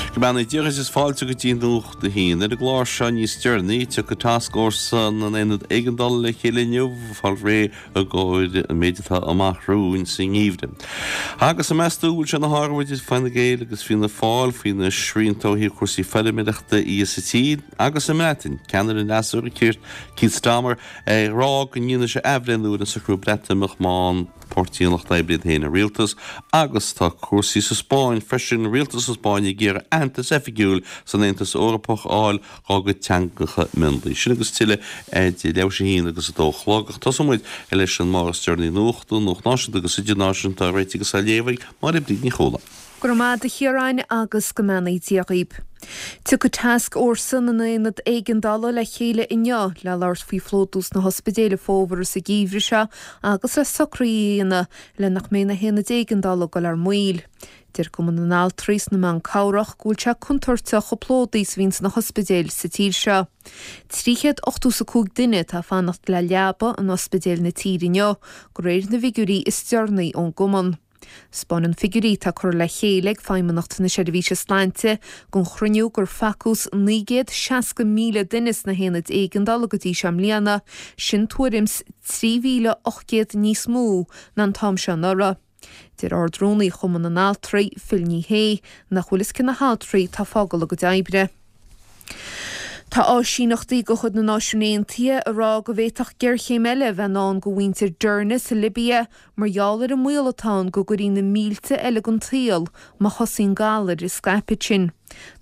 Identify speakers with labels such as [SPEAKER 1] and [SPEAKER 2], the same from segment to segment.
[SPEAKER 1] Go mbeannaí Dia dhuit is fáilte go dtí Nuacht a hAon. Ar an gclár seo níos deireanaí, tiocfaidh tascfhórsa na nAonad Éigeandála le chéile inniu fáil réidh i gcomhair an méid atá amach romhainn sa ngeimhreadh. Agus an meas tú an bhfuil sé ina shárú idir Fine Gael agus Fianna Fáil faoi na srianta ó thaobh cúrsaí feirmeoireachta dhe sa tír agus sa mBreatain, ceannaire an fhreasúra Keir Starmer ag rá go ndéanfaidh sé athbhreithniú ar an socrú Breatimeachta má fhaigheann Páirtí an Lucht Oibre iad féin i rialtas agus tá cúrsaí sa Spáinn freisin, rialtas na Spáinne ag iarraidh aitheantas oifigiúil san Aontas Eorpach a fháil dhá gcuid teangacha mionlaigh. Sin agus tuilleadh idir leathuair tar éis a haon agus a dó a chlog. Ach tosóidh muid leis an mbarr is deireanaí nuachta, nuacht náisiúnta agus idirnáisiúnta á réiteach agus á léamh ag Máire Bríd Ní Chualáin.
[SPEAKER 2] Go raibh maith agat a Chiaráin agus go mbeannaí Dia dhaoib. Tiocfaidh Tascfhórsa na nAonad Éigeandála le chéile inniu le labhairt faoi phlódú sna hospidéil an fómhar is an geimhreadh seo agus le socruithe a dhéanamh le nach mbeidh na haonaid éigeandála ag dul ar maoil. Deir Cumann na nAltraí is na mBan Cabhrach go bhfuil sé contúirteach chomh plódaithe is a bhíonn sna hospidéil sa tír seo. 385 duine atá ag fanacht le leaba in ospidéil na tíre inniu, de réir na bhfigiúirí is deireanaí ón gcumann. 'Spáineann figiúirí atá curtha le chéile ag Feidhmeannacht na Seirbhíse Sláinte don chruinniú gur facthas 960,000 duine sna haonaid éigeandála go dtí seo i mbliana, sin tuairim 's 3,800 níos mó ná an t-am seo anuraidh. Deir Ard-Rúnaí Chumann na nAltraí, Phil Ní Sheaghdha, nach bhfuil fhios cé na haltraí atá ag fágáil a gcuid oibre. Tá áisíneachtaí de chuid na Náisiún Aontaithe ag rá go bhféadfadh géarchéim eile a bheith i ndán do mhuintir Derna sa Libia mar gheall ar an mbaol atá ann go gcuirfí na mílte eile den tsaol má thosaíonn galair ag scaipeadh ansin.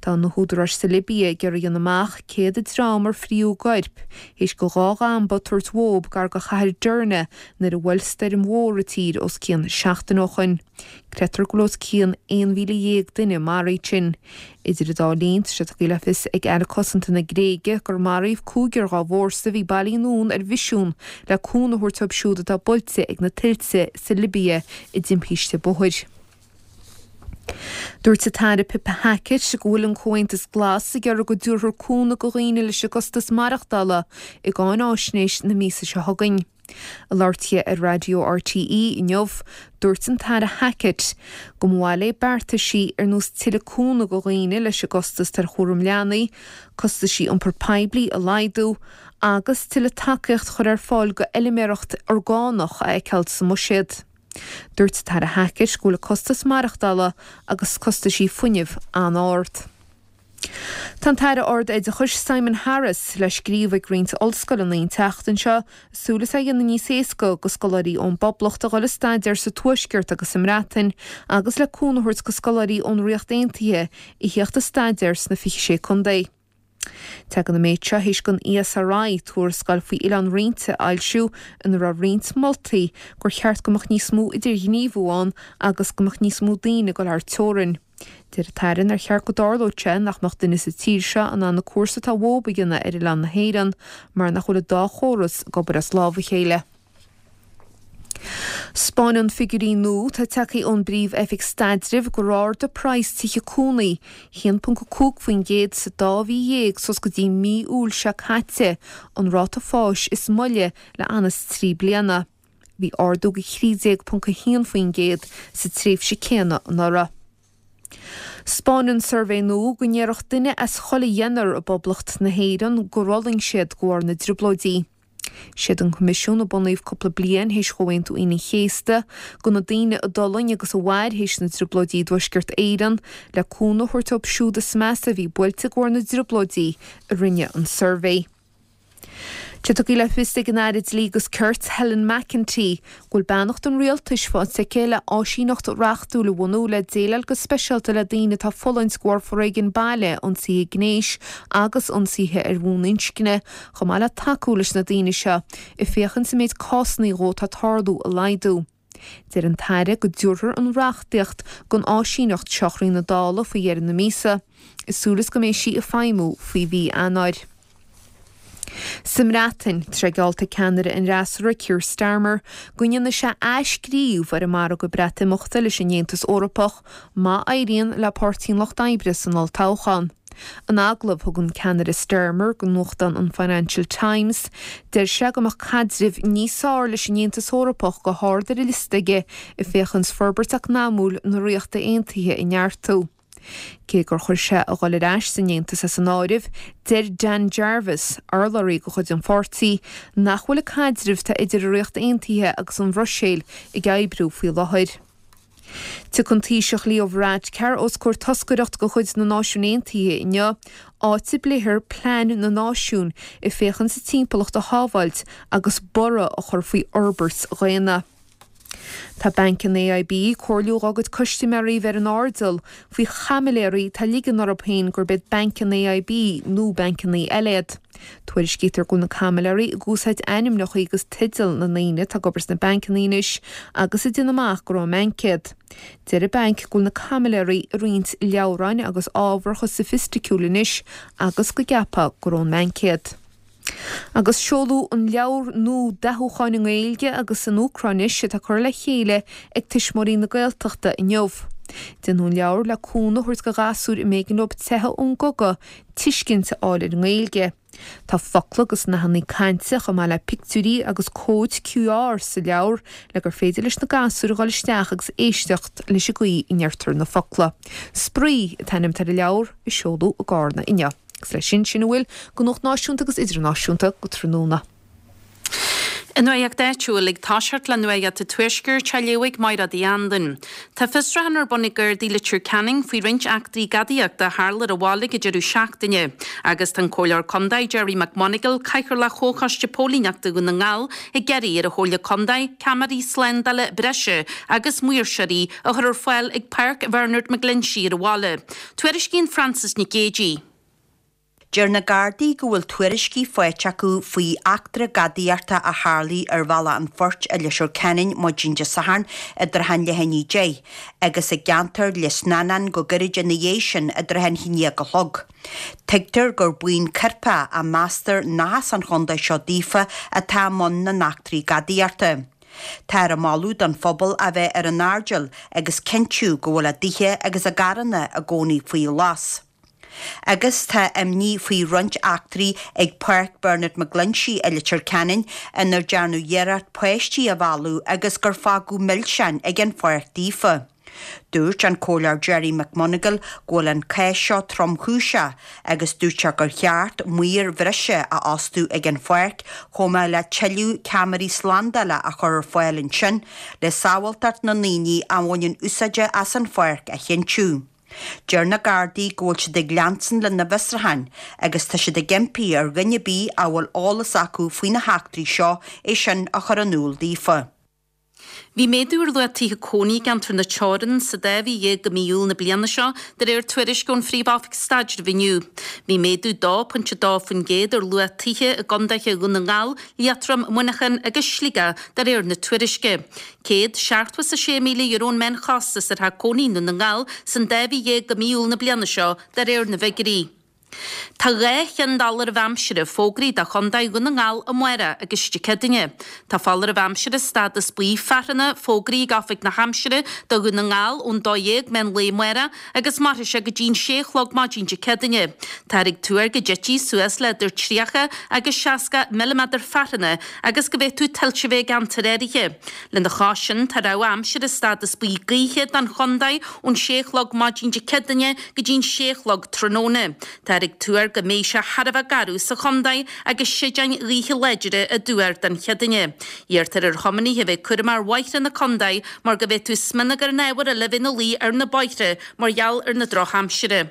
[SPEAKER 2] Tá na húdaráis sa Libia ag iarraidh a dhéanamh amach céard an dream ar fríothadh a gcoirp théis do dhá dhamba tabhairt uathub gar do chathair Derna nuair a bhuail stoirm mhór an tír os cionn seachtain ó shoin. Creidtear go bhfuil os cionn 11,000 duine maraithe ansin. Idir an dá linn, tá sé tugtha le fios ag Aire Cosanta na Gréige gur maraíodh cúigear dá bhfórsa a bhí bailithe anonn ar mhisiún le cúnamh a thabhairt dóibh siúd atá buailte ag na tuilte sa Libia i dtimpiste bóthair. Dúirt an tAire Pippa Hackett go bhfuil an Comhaontas Glas ag iarraidh go dtabharfar cúnamh do dhaoine leis an gcostas maireachtála i gcáináisnéis na míosa seo chugainn. Ag labhairt di ar Raidió RTÉ inniu, dúirt an tAire Hackett go mba mhaith léi beartaisí ar nós tuilleadh cúnamh do dhaoine leis an gcostas ar chúram leanaí, costaisí iompar poiblí a laghdú agus tuilleadh tacaíocht a chur ar fáil do fheilméaracht orgánach a fheiceáil sa mbuiséad. Dúirt an tAire Hackett go bhfuil costas maireachtála agus costaisí fuinnimh an-ard. Tá an tAire Ard-Oideachais Simon Harris le scríobh ag roinnt ollscoileanna an tseachtain seo, súil is é a dhéanamh níos éasca do scoláirí ón bPoblacht a dhul ag staidéar sa Tuaisceart agus sa mBreatain agus le cúnamh a thabhairt do scoláirí ón Ríocht Aontaithe a theacht ag staidéar sna 26 contae. Tagann an méid seo théis don ESRI tuarascáil faoi Oileán Roinnte a fhoilsiú ina raibh roinnt moltaí gur cheart go mbeadh níos mó idirghníomhú ann agus go mbeadh níos mó daoine ag dul thar teorainn. Deir an tAire nár cheart go dtarlódh sé nach mbeadh duine sa tír seo in ann an cúrsa atá uathub a dhéanamh ar oileán na hÉireann mar nach bhfuil an dá chóras ag obair as lámh a chéile. 'Spáineann figiúirí nua atá tagtha ón bPríomh-Oifig Staidrimh gur ardaigh praghas tithe cónaí 1.5% sa dá mhí dhéag suas go dtí mí Iúil seo caite, an ráta fáis is moille le anuas 3 bliana. Bhí ardú de 13.1% sa tréimhse céanna anuraidh. 'Spáineann suirbhé nua go ndéarfadh duine as chuile dheichniúr i bPoblacht na hÉireann gur fhulaing siad de bharr na dTrioblóidí. Siad an Coimisiún a bunaíodh cúpla bliain théis Chomhaontú Aoine an Chéasta do na daoine a d'fhulaing agus a mhair théis na dTrioblóidí i dTuaisceart Éireann le cúnamh a thabhairt dóibh siúd is measa a bhí buailte de bharr na dTrioblóidí a rinne an suirbhé. Tá tugtha le fios ag an Aire Dlí agus Cirt, Helen McEntee, go bhfuil beannacht an Rialtais faighte aici le áisíneacht reachtúil a bhunú le déileáil go speisialta le daoine atá ag fulaingt de bharr foréigean baile, ionsaithe gnéis agus ionsaithe ar bhonn inscne, chomh maith le tacú leis na daoine seo, ag féachaint an méid cásanna dhó atá ag tarlú a laghdú. Deir an tAire go dtabharfar an reachtaíocht don áisíneacht seo chun na Dála faoi dheireadh na míosa, i súil is go mbeidh sí ag feidhmiú faoi mhí Eanáir. Sa mBreatain, tá sé geallta ag ceannaire an fhreasúra Keir Starmer go ndéanfaidh sé athscríobh ar an margadh Breatimeachta leis an Aontas Eorpach má éiríonn le Páirtí an Lucht Oibre san olltoghchán. In agallamh a thug an ceannaire Starmer do nuachtán an Financial Times, deir sé go mbeadh caidreamh níos fearr leis an Aontas Eorpach go hard ar a liosta aige ag féachaint forbairt eacnamúil na Ríochta Aontaithe a neartú. Cé gur chuir sé a dhul ar ais san Aontas as an áireamh, deir Dan Jarvis, urlabhraí de chuid an pháirtí, nach bhfuil an caidreamh atá idir an Ríocht Aontaithe agus an Bhruiséil ag oibriú faoi láthair. Tiocfaidh an Taoiseach Leo Varadkar os comhair toscaireacht de chuid na Náisiún Aontaithe inniu, áit a bpléifear plean na náisiún ag féachaint an timpeallacht a shábháilt agus borradh a chur faoi fhorbairt dhaonna. Tá banc an AIB ag comhairliú dhá gcuid custaiméirí bheith ar an airdeall faoi chaimiléirí atá ag ligean orthu féin gurb iad banc an AIB nó bancanna eile iad. Tuairiscítear go bhfuil na caimiléirí ag úsáid ainmneacha agus teideal na ndaoine atá ag obair sna bancanna anois agus ag déanamh amach gur ón mbanc iad. Deir an banc go bhfuil na caimiléirí ag roinnt leabhráin agus ábhar chomh soifisticiúil anois agus go gceapfá gur ón mbanc iad. Agus seoladh an leabhar nua dathúcháin i nGaeilge agus in Úcráinis atá curtha le chéile ag Tuismitheoirí na Gaeltachta inniu. Déanadh an leabhar le cúnamh a thabhairt do ghasúir a mb'éigean leo teitheadh ón gcogadh tuiscint a fháil ar an nGaeilge. Tá focla agus nathanna cainte chomh maith le pictiúirí agus cóid QR sa leabhar le gur féidir leis na gasúir a dhul isteach agus éisteacht leis an gcaoi a ndeirtear na focla. Spraoi an t-ainm atá ar an leabhar a seoladh i gCarna inniu. Agus leis sin, sin a bhfuil de nuacht náisiúnta agus idirnáisiúnta go tráthnóna.
[SPEAKER 3] An Nuacht Áitiúil ag toiseacht le Nuacht an Tuaiscirt á léamh ag Mairéad Uí Anluain. Tá fiosrúchán ar bun ag Gardaí Leitir Ceanainn faoi roinnt eachtraí gadaíochta a tharla ar an bhaile ag an deireadh seachtaine agus tá an Comhairleoir Contae Gerry McMonagall, Cathaoirleach Chomhchoiste Póilíneachta Dhún na nGall, ag iarraidh ar an Chomhairle Contae ceamaraí slándála breise agus maoirseoirí a chur ar fáil ag Páirc Bhernard McGlinchey ar an bhaile. Tuairiscíonn Frances Nic Géadaigh.
[SPEAKER 4] Deir na Gardaí go bhfuil tuairiscí faighte acu faoi eachtra gadaíochta a tharlaigh ar Bhealach an Phoirt i Leitir Ceanainn maidin Dé Sathairn i dtrátha an leath i ndiaidh 10 agus i gceantar Lios na nEan go gairid ina dhiaidh sin i dtrátha an haon déag a chlog. Tuigtear gur buíon coirpeach a meastar nach as an chontae seo daofa atá i mbun na n-eachtraí gadaíochta. Táthar ag moladh don phobal a bheith ar an airdeall agus cinntiú go bhfuil a dtithe agus a gcarranna i gcónaí faoi ghlas. Agus tá imní faoi roinnt eachtraí ag Páirc Bernard McGlinchey i Leitir Ceanainn inar dearnadh iarracht páistí a mhealladh agus gur fágadh milseáin ag an pháirc daofa. Dúirt an Comhairleoir Gerry McMonagall go bhfuil an cás seo tromchúiseach agus dúirt sé gur cheart maoir bhreise a fhostú ag an pháirc chomh maith le tuilleadh ceamaraí slándála a chur ar fáil ansin le sábháilteacht na ndaoine a bhaineann úsáid as an pháirc a chinntiú. Deir na Gardaí go bhfuil siad ag leanstan lena bhfiosrúcháin agus tá siad ag impí ar dhuine ar bith a bhfuil eolas acu faoi na heachtraí seo é sin a chur in iúl daofa.
[SPEAKER 3] Bhí méadú ar luach tithe cónaí i gceantar na Teorann sa dá mhí dhéag de mhí Iúil na bliana seo, de réir tuairisce ón Phríomh-Oifig Staidrimh inniu. Bhí méadú 2.2% ar luach tithe i gcondaetha Dhún na nGall, Liatroim, Muineachán agus Sligeach, de réir na tuairisce. €176,000 an meánchostas ar theach cónaí i nDún na nGall san dá mhí dhéag de mhí Iúil na bliana seo, de réir na bhfigiúirí. Tá 2 cheann d'fholáireamh aimsire fógraithe do Chontae Dhún na nGall amárach agus Dé Céadaoine. Tá foláireamh aimsire stádas buí fearthanna fógraithe ag Oifig na hAimsire do Dhún na nGall ón 12 meán lae amárach agus mairfidh sé go dtí'n 6 a chlog maidin Dé Céadaoine. Táthar ag tuar go dtitfidh suas le idir 30 agus 60 milliméadar fearthanna agus go bhféadfadh tuilte a bheith i gceantair áirithe. Lena chois sin, tá rabhadh aimsire stádas buí gaoithe don chontae ón 6 a chlog maidin Dé Céadaoine go dtí'n 6 a chlog tráthnóna. Táthar ag tuar go mbeidh sé thar a bheith garbh sa chontae agus séideáin ghaoithe láidre á dtuar don Chéadaoine. Iarrtar ar thiománaithe a bheith cúramach ar bhóithre na contae mar go bhféadfadh smionagar nó ábhar eile a bheith ina luí ar na bóithre mar gheall ar na drochaimsire.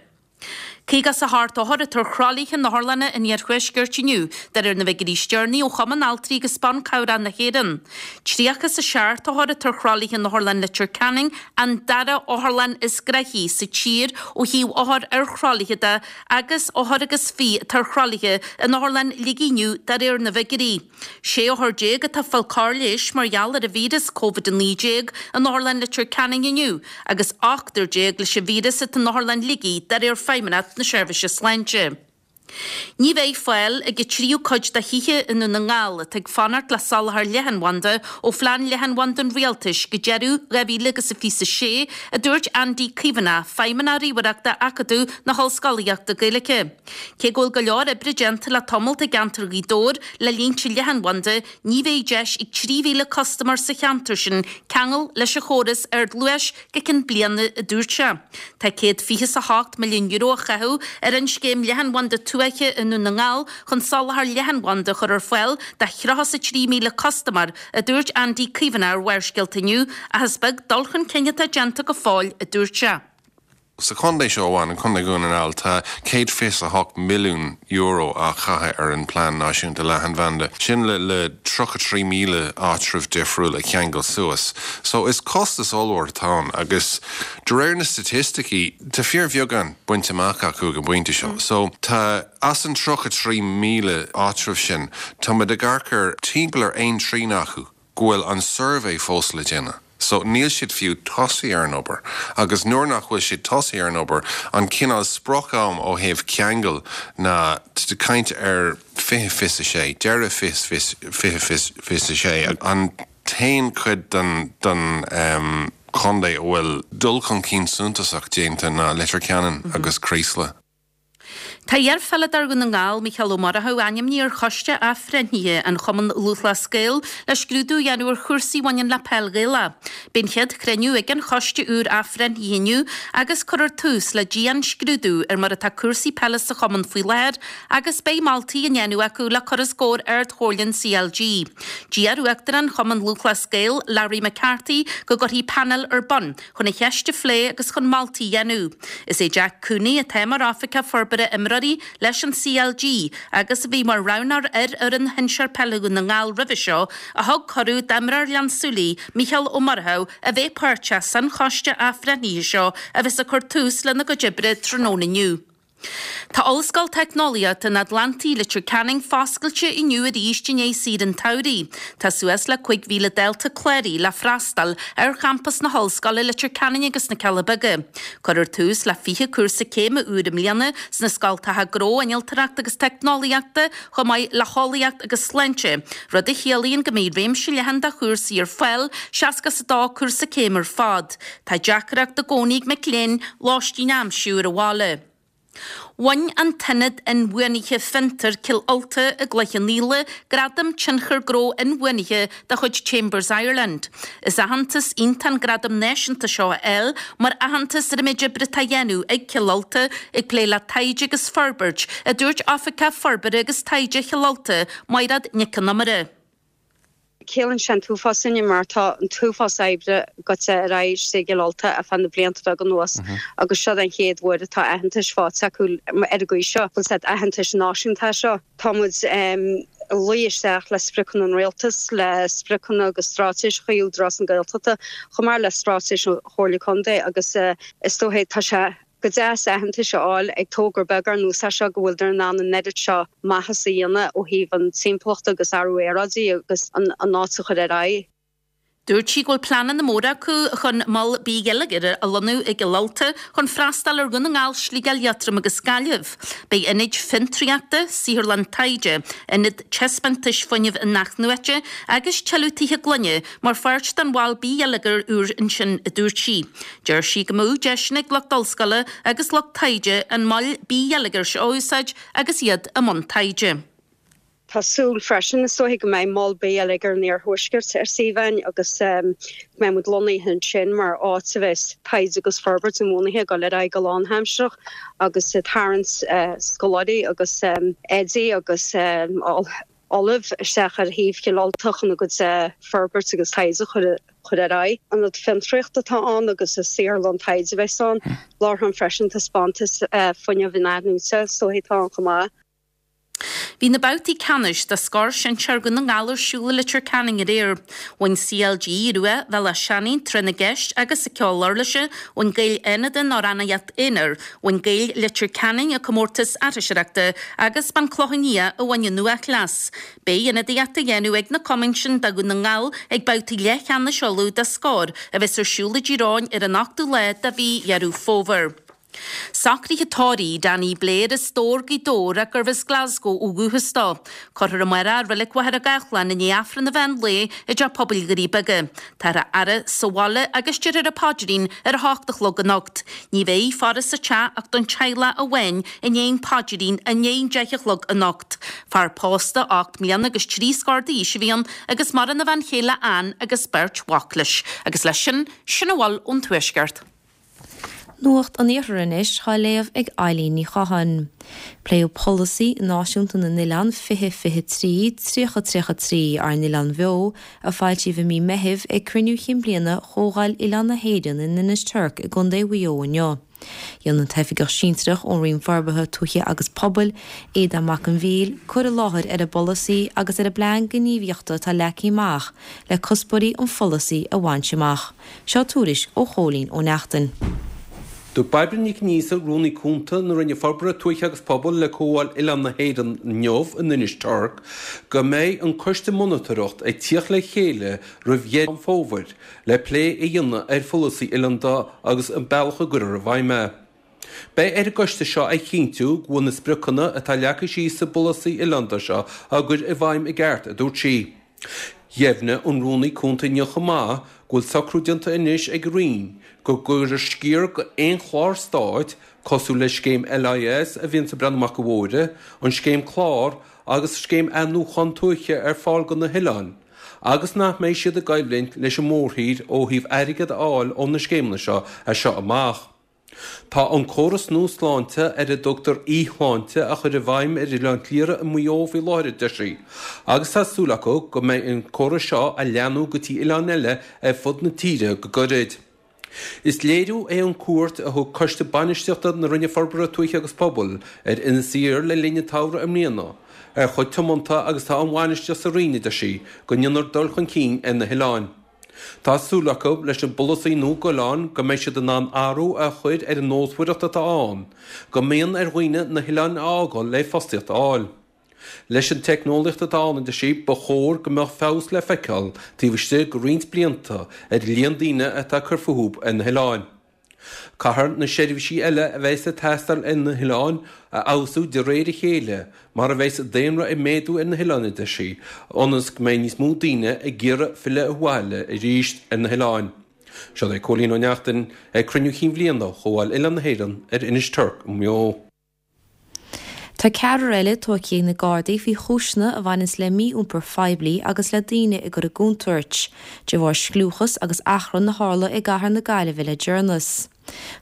[SPEAKER 3] 58 othar atá ar thralaithe in otharlanna an iarthuaiscirt inniu, de réir na bhfigiúirí is deireanaí ó Chumann Altraí agus Ban Cabhrach na hÉireann. 37 othar atá ar thralaithe in Otharlann Leitir Ceanainn, an dara otharlann is gnoithí sa tír ó thaobh othar ar thralaithe de, agus othar agus fiche atá ar thralaithe in Otharlann Shligigh inniu, de réir na bhfigiúirí. 16 othar atá ag fáil cóir leighis mar gheall ar an víreas Covid-19 in Otharlann Leitir Ceanainn inniu agus ochtar déag leis an víreas atá in Otharlann Shligigh de réir Feidhmeannacht na Seirbhíse Sláinte. Ní bheidh fáil ag an tríú cuid de thithe i nDún na nGall atá ag fanacht le soláthar leathanbhanda ó Phlean Leathanbhanda an Rialtais go deireadh 2026, a dúirt Andy Caomhánach, Feidhmeannach Ríomhaireachta Acadamh na hOllscolaíochta Gaeilge. Cé go bhfuil go leor oibre déanta le tamalt i gceantar Ghaoth Dobhair le línte leathanbhanda, ní bheidh deis ag 3,000 custaiméir sa cheantar sin ceangal leis an chóras ardluais go ceann bliana, a dúirt sé. Tá €128 milliún á chaitheamh ar an scéim leathanbhanda tuaithe i nDún na nGall chun soláthar leathanbhanda a chur ar fáil do 33,000 custaiméir, a dúirt Andy Caomhánach ar Bharrscéalta inniu, ach is beag dul chun cinn atá déanta go fóill, a dúirt sé.
[SPEAKER 5] Sa chontae seo amháin, an Contae Dhún na nGall, tá €128 milliún á chaitheamh ar an Plean Náisiúnta Leathanbhanda. Sin le le 33,000 áitreabh difriúil a cheangal suas. So is costas ollmhór atá ann agus de réir na staitisticí tá fíorbheagán bainte amach acu ag an bpointe seo. So tá, as an 33,000 áitreabh sin, tá muid ag amharc ar timpeall ar aon trian acu. go bhfuil an suirbhé fós le déanamh. So, níl siad fiú tosaithe ar an obair. Agus nuair nach bhfuil siad tosaithe ar an obair, an cineál sprioc-am ó thaobh ceangal ná, tá tú ag caint ar 2026, deireadh 2026. An t-aon chuid den, den chontae a bhfuil dul chun cinn suntasach déanta ná Leitir Ceanainn agus Creeslough.
[SPEAKER 3] Tá iarpheileadóir Dhún na nGall, Mícheál Ó Murchú, ainmnithe ar Choiste Athbhreithnithe an Chumann Lúthchleas Gael le scrúdú a dhéanamh ar chúrsaí a bhaineann le peil Ghaelach. Beidh an chéad chruinniú ag an choiste úr athbhreithnithe inniu agus cuirfear tús le dian-scrúdú ar mar atá cúrsaí peile sa chumann faoi láthair agus beidh moltaí á ndéanamh acu le cur os comhair Ard-Chomhairle an CLG. D'iarr Uachtarán Chumann Lúthchleas Gael, Larry McCarthy, go gcuirfí painéal ar bun chun an cheist a phlé agus chun moltaí a dhéanamh. Is é Jack Cooney, atá mar Oifigeach Forbartha Imreoirí leis an CLG agus a bhí mar roghnóir ar fhoireann shinsear peile Dhún na nGall roimhe seo, a thug cuireadh d'imreoir Ghleann tSúilí, Mícheál Ó Murchú, a bheith páirteach san choiste athbhreithnithe seo a bheas ag cur tús lena gcuid oibre tráthnóna inniu. Tá Ollscoil Teicneolaíochta an Atlantaigh, Leitir Ceanainn foscailte inniu arís i ndiaidh saoire an tsamhraidh. Tá suas le 5,000 dalta cláraithe le freastal ar champas na hOllscoile, Leitir Ceanainn agus na Cealla Beaga. Cuirfear tús le 20 cúrsa céime úr i mbliana sna scoltacha Gnó, Innealtóireachta agus Teicneolaíochta chomh maith le hEolaíocht agus Sláinte, rud a chiallaíonn go mbeidh réimse leathan de chúrsaí ar fáil, 62 cúrsa céime ar fad. Tá deacracht i gcónaí ag mic léinn lóistín a aimsiú ar an bhaile. Bhain an tIonad Inbhuanaithe Fiontair Cill Ulta i gCloich Cheann Fhaola Gradam Tionchar Gnó Inbhuanaithe de chuid Chambers Ireland. Is aitheantas iontach an gradam náisiúnta seo a fháil mar aitheantas ar an méid oibre atá á dhéanamh ag Cill Ulta ag plé le taighde agus forbairt, a dúirt Oifigeach Forbartha agus Taighde Chill Ulta, Maighread Nic Con Iomaire.
[SPEAKER 6] Ciallaíonn sé an t-uafás dúinne mar tá an t-uafás oibre gaite ar aghaidh istigh i gCill Ulta ar feadh na blianta beaga anuas agus seo den chéad uair atá aitheantais faighte acu ar an gcaoi seo. Bhfuil a fhios agat aitheantais náisiúnta é seo. Tá muid ag luí isteach le spriocanna an Rialtais, le spriocanna agus straitéiseacha Údarás na Gaeltachta chomh maith le straitéis an Chomhairle Contae agus is dóigh tá sé go deas aitheantais a fháil ag togra beag ar nós é seo go bhfuileadar in ann an oiread seo maitheas a dhéanamh ó thaobh an timpeallachta agus athrú aeráide agus an áit a chur ar aghaidh.
[SPEAKER 3] Dúirt sí go bhfuil pleananna móra acu chun mol bithgheilleagair a lonnú i gCill Ulta chun freastal ar Dhún na nGall, Sligeach, Liatroim agus Gaillimh. Beidh ionaid fiontraíochta, saotharlann taighde, ionad taispeántais fuinnimh inathnuaite agus tuilleadh tithe gloine mar pháirt den mhol bithgheilleagair úr ansin, a dúirt sí. Deir sí go mbeadh deiseanna ag lucht ollscoile agus lucht taighde an mol bithgheilleagair seo a úsáid agus iad i mbun taighde.
[SPEAKER 6] Tá súil freisin, is dóiche, go mbeidh mol bithgheilleagair an Iarthuaiscirt ar suíomh againn agus go mbeidh muid lonnaithe ansin mar áit a bheas taighde agus forbairt inbhuanaithe ag dul ar aghaidh go lánaimsearach agus ag tarraingt scoláirí agus oidí agus ollaimh isteach ar shuíomh Chill Ulta chun a gcuid forbairt agus taighde a chur ar aghaidh. Ionad fiontraíochta atá ann agus is saotharlann taighde a bheas ann. Láithreán freisin taispeántais fuinnimh inathnuaite is dóiche atá ann chomh maith.
[SPEAKER 3] Bhí na babhtaí ceannais de Scór Sinsear Dhún na nGall ar siúl i Leitir Ceanainn aréir. Bhain CLG Rua Bhealach Seanaidh tráth na gceist agus sa ceol uirlise, bhain Gaeil Fhánada an amhránaíocht aonair, Bhain Gaeil Leitir Ceanainn an comórtas aithriseoireachta agus b'An Clochán Liath a bhain an uathchleas. Beidh ionadaíocht á dhéanamh ag na cumainn sin do Dhún na nGall ag babhtaí leathcheannais Uladh de Scór a bheas ar siúl i dTír Eoghain ar an ochtú lá de mhí Dheireadh Fómhair. Socruithe tórraimh Danny Blair as Dobhar, Gaoth Dobhair ach gurbh as Glasgow ó dhúchas dó. Cuirfear amárach i Reilig Mhachaire Gathlán i ndiaidh Aifreann an mheán lae i dTeach Pobail Dhoirí Beaga. Táthar á fhaire sa bhaile agus déarfar an paidrín ar a hocht a chlog anocht. Ní bheidh faire sa teach ach don teaghlach amháin i ndiaidh an phaidrín i ndiaidh an deich a chlog anocht. Fear pósta 8 mbliana agus 3 scór d'aois a bhí ann agus maireann a bhean chéile Ann agus beirt mhac leis. Agus leis sin, sin a bhfuil ón Tuaisceart.
[SPEAKER 7] Nuacht an Iarthair anois á léamh ag Eilín Ní Chatháin. Pléadh Polasaí Náisiúnta na nOileán 2023, 30 33, Ár nOileáin Bheo, a foilsíodh i mí Meithimh, ag cruinniú chinn bliana Chomhdháil Oileáin na hÉireann in Inis Toirc i gContae Mhaigh Eo inniu. Dhein an tOifigeach Sinsearach ón Roinn Forbartha Tuaithe agus Pobail, Aodán Mac an Mhíl, cur i láthair ar an bpolasaí agus ar an bplean gníomhaíochta atá leagtha amach le cuspóirí an pholasaí a bhaint amach. Seo tuairisc ó Chóilín Ó Neachtain.
[SPEAKER 8] Dúirt Bairbre Nic Neasa, Rúnaí Cúnta na Roinne Forbartha Tuaithe agus Pobail le Comhdháil Oileáin na hÉireann inniu in Inis Toirc go mbeidh an coiste monatóireacht ag tíocht le chéile roimh dheireadh an fómhair le plé a dhéanamh ar pholasaí oileánda agus an bealach a gcuirfear i bhfeidhm é. Beidh ar an gcoiste seo a chinntiú go bhfuil na spriocanna atá leagtha síos sa bpolasaí oileánda seo á gcur i bhfeidhm i gceart, a dúirt sí. Dheimhnigh an Rúnaí Cúnta inniu chomh maith go bhfuil socrú déanta anois ag an Roinn go gcuirfear sciar d'aon chlár stáit, cosúil le scéim LIS a bhíonns ag breathnú amach do bhóithre, an scéim clár agus scéim athnuachan tuaithe ar fáil do na hoileáin, agus nach mbeidh siad i gcoimhlint leis an mórthír ó thaobh airgead a fháil ó na scéimeanna seo as seo amach. Tá an córas nua sláinte ar a dtugtar eShláinte á chur i bhfeidhm ar Oileán Chliara i Maigh Eo faoi láthair, a deir sí, agus tá súil acu go mbeidh an córas seo á leathnú go dtí oileáin eile ar fud na tíre go gairid. Is léiriú é an cuairt a thug Coiste Bainistíochta na Roinne Forbartha Tuaithe agus Pobail ar Inis Oírr le linn an tsamhraidh i mbliana ar chomh tiomanta agus atá an bhainistíocht sa Roinn, a deir sí, go ndéanfar dul chun cinn ar na hoileáin. Tá súil acu leis an bpolasaí nua d'oileáin go mbeidh siad in ann athrú a chur ar an nósmhaireacht atá ann, go mbíonn ar dhaoine na hoileáin a fhágáil le fostaíocht a fháil. Leis an teicneolaíocht atá ann, a deir sí, ba chóir go mbeadh feabhas le feiceáil taobh istigh de roinnt blianta ar an líon daoine atá ag cur fúthu ar na hoileáin. Caithfear na seirbhísí eile a bheas ag teastáil ar na hoileáin a fheabhsú de réir a chéile mar a bheas an daonra ag méadú ar na hoileáin, a deir sí, ionas go mbeidh níos mó daoine ag iarraidh filleadh abhaile arís ar na hoileáin. Seo é Cóilín Ó Neachtain ag cruinniú chinn bhliana Chomhdháil Oileáin na hÉireann ar Inis Toirc i Maigh Eo.
[SPEAKER 7] Tá ceathrar eile tógtha ag na Gardaí faoi chúiseanna a bhaineanns le mí-iompar phoiblí agus le daoine a gcur i gcontúirt, de bharr scliúchas agus achrann a tharla i gcathair na Gaillimhe le deireanas.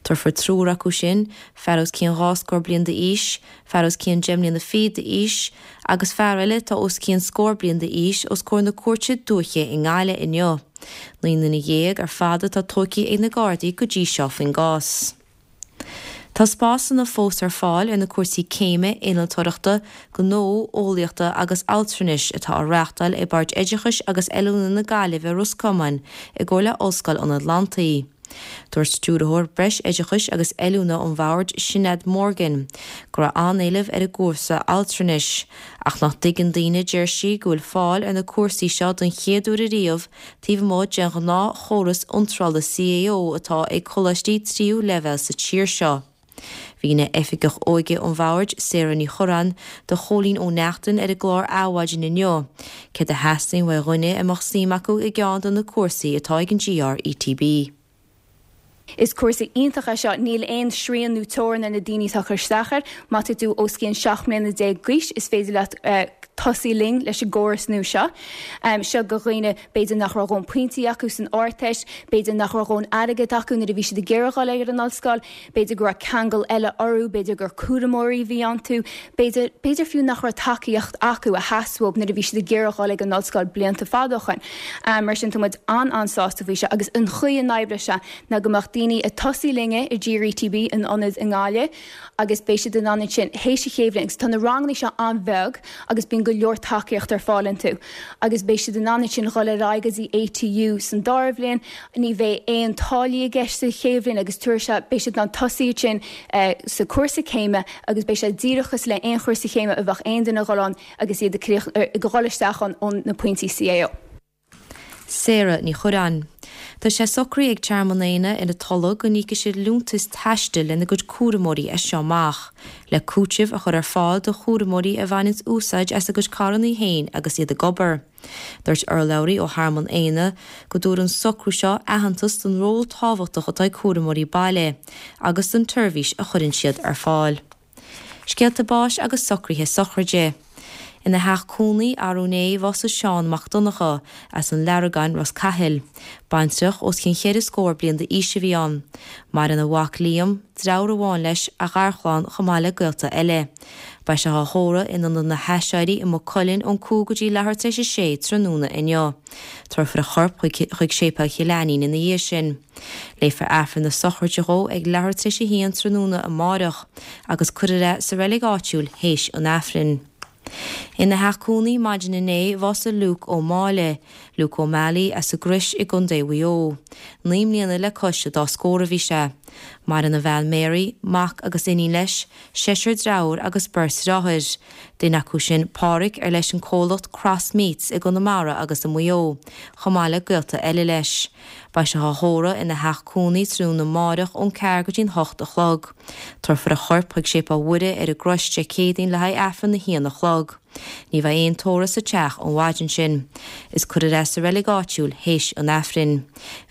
[SPEAKER 7] Tabharfar triúr acu sin, fear os cionn dhá scór bliain d'aois, fear os cionn deich mbliana fichead d'aois, agus fear eile atá os cionn scór bliain d'aois, os comhair na Cúirte Dúiche i nGaillimh inniu. 19 nduine ar fad atá tógtha ag na Gardaí go dtí seo faoin gcás. Tá spásanna fós ar fáil ar na cúrsaí céime Innealtóireachta, Gnó, Eolaíochta agus Altranais atá á reáchtáil ag Bord Oideachais agus Oiliúna na Gaillimhe Ros Comáin i gcomhar le Ollscoil an Atlantaigh. Dúirt Stiúrthóir Breis-Oideachais agus Oiliúna an Bhoird, Sinéad Morgan, go raibh an-éileamh ar an gcúrsa altranais, ach nach dtuigeann daoine, deir sí, go bhfuil fáil ar na cúrsaí seo don chéad uair ariamh taobh amuigh den ghnáthchóras iontrála CAO atá ag coláistí tríú leibhéal sa tír seo. Mhínigh Oifigeach Óige an Bhoird, Sarah Ní Churráin, do Chóilín Ó Neachtain ar an gclár Adhmhaidin inniu, céard a theastaíonn uaidh dhuine a mbeadh suim acu i gceann de na cúrsaí atá ag an GRETB.
[SPEAKER 9] Is cúrsa iontach é seo, níl aon srian nó teorainn ar na daoine atá ag cur isteach air. Má tá tú os cionn 17 mbliana d'aois is féidir leat tosaí linn leis an gcóras nua seo. Seo do dhaoine b'fhéidir nach raibh a dhóthain pointí acu san Ardteist, b'fhéidir nach raibh a dhóthain airgead acu nuair a bhí siad ag iarraidh dhul ar an ollscoil, b'fhéidir go raibh ceangal eile orthu, b'fhéidir gur cúramóirí a bhí iontu, b'fhéidir, b'fhéidir fiú nach raibh tacaíocht acu a sheas uathu nuair a bhí siad ag iarraidh dhul ag an ollscoil blianta fada ó shoin. Mar sin tá muid an-an-sásta faoi seo agus an chaoi a n-oibreoidh sé ná go mbeadh daoine ag tosaí linne i GRETB in ionad i nGaillimh agus beidh siad in ann ansin théis an chéad bhliain agus tá na ranganna seo an-bheag agus bíonn go leor tacaíocht ar fáil iontu agus beidh siad in ann ansin dhul ar aghaidh go dtí ATU san dara bhliain. Ní bheidh aon táillí i gceist sa chéad bhliain agus tabharfaidh sé, beidh siad in ann tosaí ansin sa cúrsa céime agus beidh sé díreach cosúil le aon chúrsa céime a bheadh aon duine ag dhul ann agus iad ag dhul isteach ann ó na pointí CAO.
[SPEAKER 7] Sarah Ní Chuireáin. Tá sé socraithe ag Tearmann Éanna in Tulaigh go n-íocfaidh siad liúntas taistil lena gcuid cúramóirí as seo amach, le cúiteamh a chur ar fáil do chúramóirí a bhaineanns úsáid as a gcuid carrannaí féin agus iad ag obair. Dúirt urlabhraí ó Thearmann Éanna go dtabharfaidh an socrú seo aitheantas don ról tábhachtach atá ag cúramóirí baile agus don tseirbhís a chuireann siad ar fáil. Scéalta báis agus socruithe sochraide. Ina theach cónaí arú inné bhásaigh Seán Mac Donncha as an Leargain, Ros Cathail. Baintreach os cionn cheithre scór bliain d'aois a bhí ann. Maireann a mhac Liam, deartháir amháin leis, a gharchlann chomh maith le gaolta eile. Beidh sé á thórramh in Ionad na hAiséirí i Maigh Cuilinn ón 5 go dtí leathuair tar éis a sé tráthnóna inniu. Tabharfar a chorp chuig Séipéal Chill Ainnín ina dhiaidh sin. Léifear Aifreann na sochraide dhó ag leathuair tar éis a haon tráthnóna amáireach agus cuirfear é sa reilig áitiúil théis an Aifrinn. Ina theach cónaí maidin inné bhásaigh Luke Ó Máille, Luke O'Malley, as an gCrois i gContae Mhaigh Eo. 9 mbliana le cois a dá scór a bhí sé. Maireann a bhean Mary, mac agus iníon leis, seisear dreabhar agus beirt dhreáthair. Duine acu sin Páraic ar leis an comhlacht Cross Meats i gConamara agus i Maigh Eo, chomh maith le gaolta eile leis. Beidh sé á thórramh ina theach cónaí tráthnóna amáireach ón ceathair go dtí'n hocht a chlog. Tabharfar a chorp chuig Séipéal Mhuire ar an gCrois Dé Céadaoin le haghaidh Aifreann a haon a chlog. Ní bheidh aon tórramh sa teach an mhaidin sin. Is cuirfear é sa reilig áitiúil théis an Aifrinn.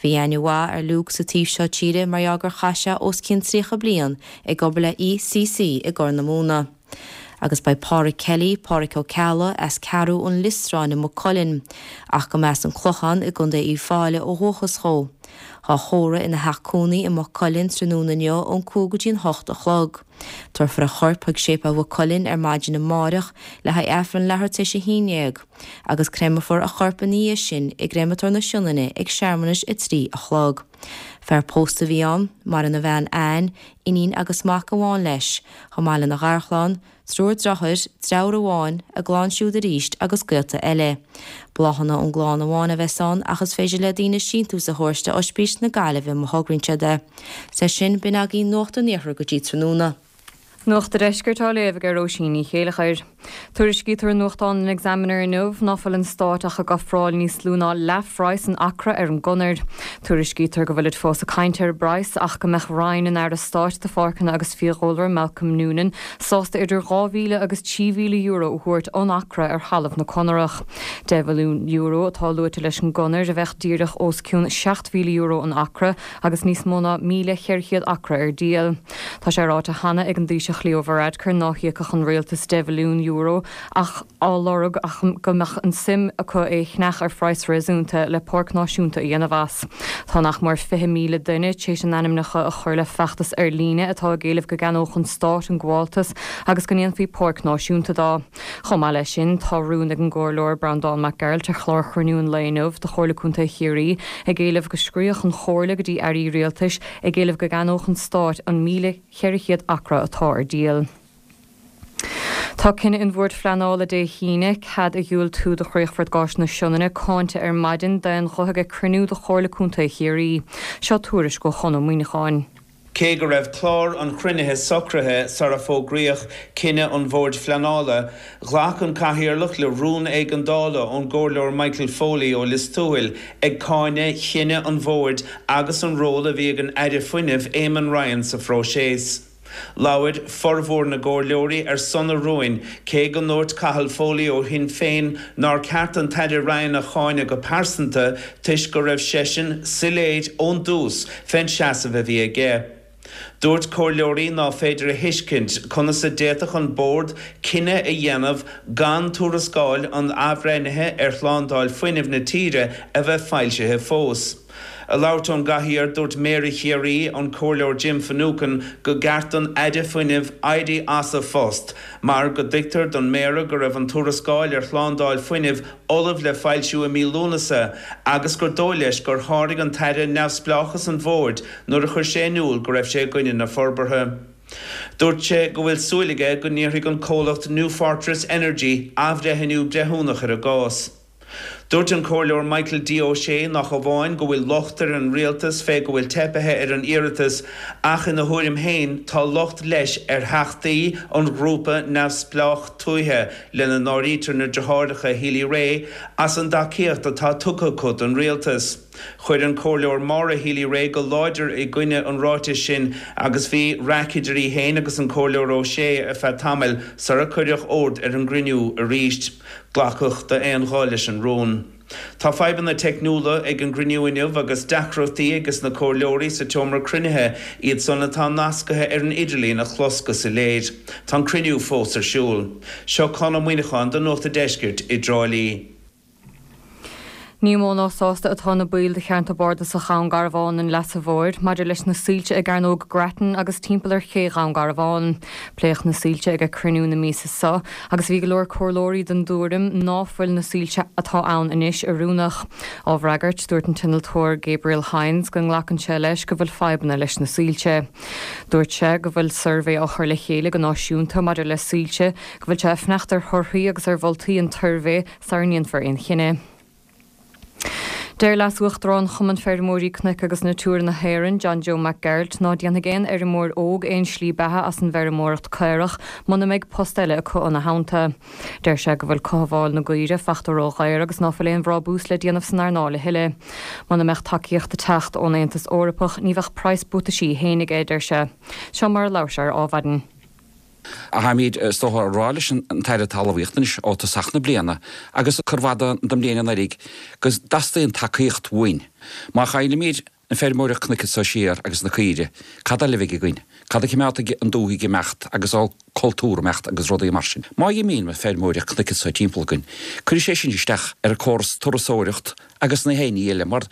[SPEAKER 7] Bhí aithne mhaith ar Luke sa taobh seo tíre mar gheall gur chaith sé os cionn 30 bliain ag obair le ECC i gCorr na Móna. Agus beidh Páraic Kelly, Páraic Ó Ceallaigh, as Ceathrú an Liostráin i Maigh Cuilinn, ach go mb'as an Clochán i gContae Uíbh Fhailí ó dhúchas dhó. Á thórramh ina theach cónaí i Maigh Cuilinn tráthnóna inniu ón 5 go dtí an 8 a chlog. Tabharfar a chorp chuig Séipéal Mhaigh Cuilinn ar maidin amáireach le haghaidh Aifreann leathuair tar éis a haon déag, agus créamfar a chorp ina dhiaidh sin i gCréamatóir na Sionainne ag searmanas a 3 a chlog. Fear pósta a bhí ann, maireann a bhean Anne, iníon agus mac amháin leis, chomh maith lena gharchlann, triúr deartháir, deartháir amháin, a gclann siúd arís agus gaolta eile. Bláthanna ón gclann amháin a bheas ann ach is féidir le daoine síntiús a thabhairt do Oispís na Gaillimhe má thograíonn siad é. 'S é sin, b'in agaibh Nuacht an Iarthair go dtí tráthnóna.
[SPEAKER 10] Nuacht an Deiscirt á léamh ag Róisín Ní Chéileachair. Tuairiscítear i nuachtán an Examiner inniu ná fuil an Stát ach ag ofráil níos lú ná leathphraghas an acra ar an gconair. Tuairiscítear go bhfuilid fós ag caint ar an bpraghas ach go mbeadh Roinn an Aire Stáit do Pháirceanna agus Fiadhúlra, Malcolm Noonan, sásta idir €2,000 agus €3,000 a thabhairt an acra ar thalamh na conarach. €10 mhilliún atá luaite leis an gconair a bheadh díreach os cionn €7,000 an acra agus níos mó ná 1,400 acra ar díol. Tá sé ráite cheana ag an Taoiseach Leo Varadkar ná híocfadh an rialtas €10 mhilliún ach á lorg ach go mbeadh an suim acu é a cheannach ar phraghas réasúnta le páirc náisiúnta a dhéanamh as. Tá nach mór 20,000 duine tar éis a n-ainmneacha a chur le feachtas ar líne atá ag éileamh go gceannódh an stát an gabháltas agus go ndéanfaí páirc náisiúnta dó. Chomh maith leis sin, tá rún ag an gComhairleoir Breandán Mac Gearailt ar chlár Chruinniú an Lae inniu de Chomhairle Contae Chiarraí ag éileamh go scríobhadh an Chomhairle go dtí airí rialtais ag éileamh go gceannódh an Stát an 1,400 acra atá ar díol. Tá cinneadh an Bhoird Phleanála Dé hAoine cead a dhiúltú do Chríochfort Gáis na Sionainne cáinte ar maidin d'aon ghuth ag cruinniú de Chomhairle Contae Chiarraí. Seo tuairisc ó Chon Ó Muíneacháin.
[SPEAKER 11] Cé go raibh clár an chruinnithe socraithe sara fógraíodh cinneadh an Bhoird Phleanála, ghlac an Cathaoirleach le rún éigeandála ón gComhairleoir Michael Foley ó Lios Tuathail ag cáineadh chinneadh an Bhoird agus an ról a bhí ag an Aire Fuinnimh Eamon Ryan sa phróiseas. Labhair formhór na gcomhairleoirí ar son an rúin, cé go ndúirt Cathal Foley ó Shinn Féin nár ceart an tAire Ryan a cháineadh go pearsanta toisc go raibh seisean soiléir ón dtús fén seasamh a bhí aige. Dúirt comhairleoirí ná féidir a thuiscint conas a d'fhéadfadh an Bord cinneadh a dhéanamh gan tuarascáil an athbhreithnithe ar shlándáil fuinnimh na tíre a bheith foilsithe fós. Ag labhairt ón gcathaoir, dúirt Méara Chiarraí, an Comhairleoir Jim Finucane, go gceart don Aire Fuinnimh éirí as a phost mar go dtuigtear don Méara go raibh an tuarascáil ar shlándáil fuinnimh ullamh le foilsiú i mí Lúnasa agus gur dóigh leis gur sháraigh an tAire neamhspleáchas an Bhoird nuair a chuir sé in iúl go raibh sé i gcoinne na forbartha. Dúirt sé go bhfuil súil aige go n-iarrfaidh an comhlacht New Fortress Energy athbhreithniú breithiúnach ar an gcás. Dúirt an Comhairleoir Michael D Ó Sé nach amháin go bhfuil locht ar an Rialtas fé go bhfuil teipithe ar an iarratas ach ina thuairim féin tá locht leis ar theachtaí an ghrúpa neamhspleách tuaithe, lena n-áirítear na deartháireacha Healy-Rae, as an dtacaíocht atá tugtha acu don Rialtas. Chuir an Comhairleoir Maura Healy-Rae go láidir i gcoinne an ráitis sin agus bhí raic idir í féin agus an Comhairleoir Ó Sé ar feadh tamaill sara cuireadh ord ar an gcruinniú arís. Glacadh d'aon ghuth leis an rún. Tá fadhbanna teicniúla ag an gcruinniú inniu agus deacrachtaí ages na comhairleoirí sa tseomra cruinnithe, iad san atá nascaithe ar an idirlíon a chlos go soiléir. Tá an cruinniú fós ar siúl. Seo Conn Ó Muíneacháin do Nuacht a' Deiscirt i dTrá Lí.
[SPEAKER 10] Ní mó ná sásta atá na baill de cheantar bardasach Dhún Garbhán an Leasa Mhóir maidir leis na soilse i gCearnóg Grattan agus timpeall ar ché Dhún Garbhán. Pléadh na soilse ag cruinniú na míosa seo agus bhí go leor comhairleoirí den dtuairim ná fuil na soilse atá ann anois oiriúnach. Á bhfreagairt, dúirt an t-innealtóir Gabriel Hynes go nglacann sé leis go bhfuil fadhbanna leis na soilse. Dúirt sé go bhfuil suirbhé á chur le chéile go náisiúnta maidir le soilse, go bhfuil sé ag fanacht ar thorthaí agus ar mholtaí an tsuirbhé sara ndéanfar aon chinneadh. Deir Leas-Uachtarán Chumann Feirmeoirí Cnoic agus Natura na hÉireann, John Joe Mac Gearailt, ná déanfaidh aon fheirmeoir óg aon slí beatha as an bhfeirmeoireacht caorach muna mbeidh post eile acu ina theannta. Deir sé go bhfuil cothabháil na gcaoire fachta ró-dhaor agus ná fuil aon bhrábús le déanamh san earnáil a thuilleadh. Muna mbeadh tacaíocht ag teacht ón Aontas Eorpach ní bheadh praghas buataisí fhéin aige, a deir sé. Seo mar a labhair sé ar Adhmhaidin.
[SPEAKER 12] Táimid, is dócha, ag rá leis an tAire Talmhaíochta anois ó tosach na bliana agus cuid mhaith den mbliain anuraidh go dteastaíonn tacaíocht uainn. Má chaillimid an feirmeoireacht cnoic anso siar agus na caoire, cad eile a bheidh againn? Cad a choimeádfaidh an dúthaigh ag imeacht agus an cultúr ag imeacht agus rudaí mar sin? Má dh'imíonn an feirmeoireacht cnoic anso timpeall againn, cuirfidh sé sin isteach ar an córas turasóireacht agus na haon ní eile, mar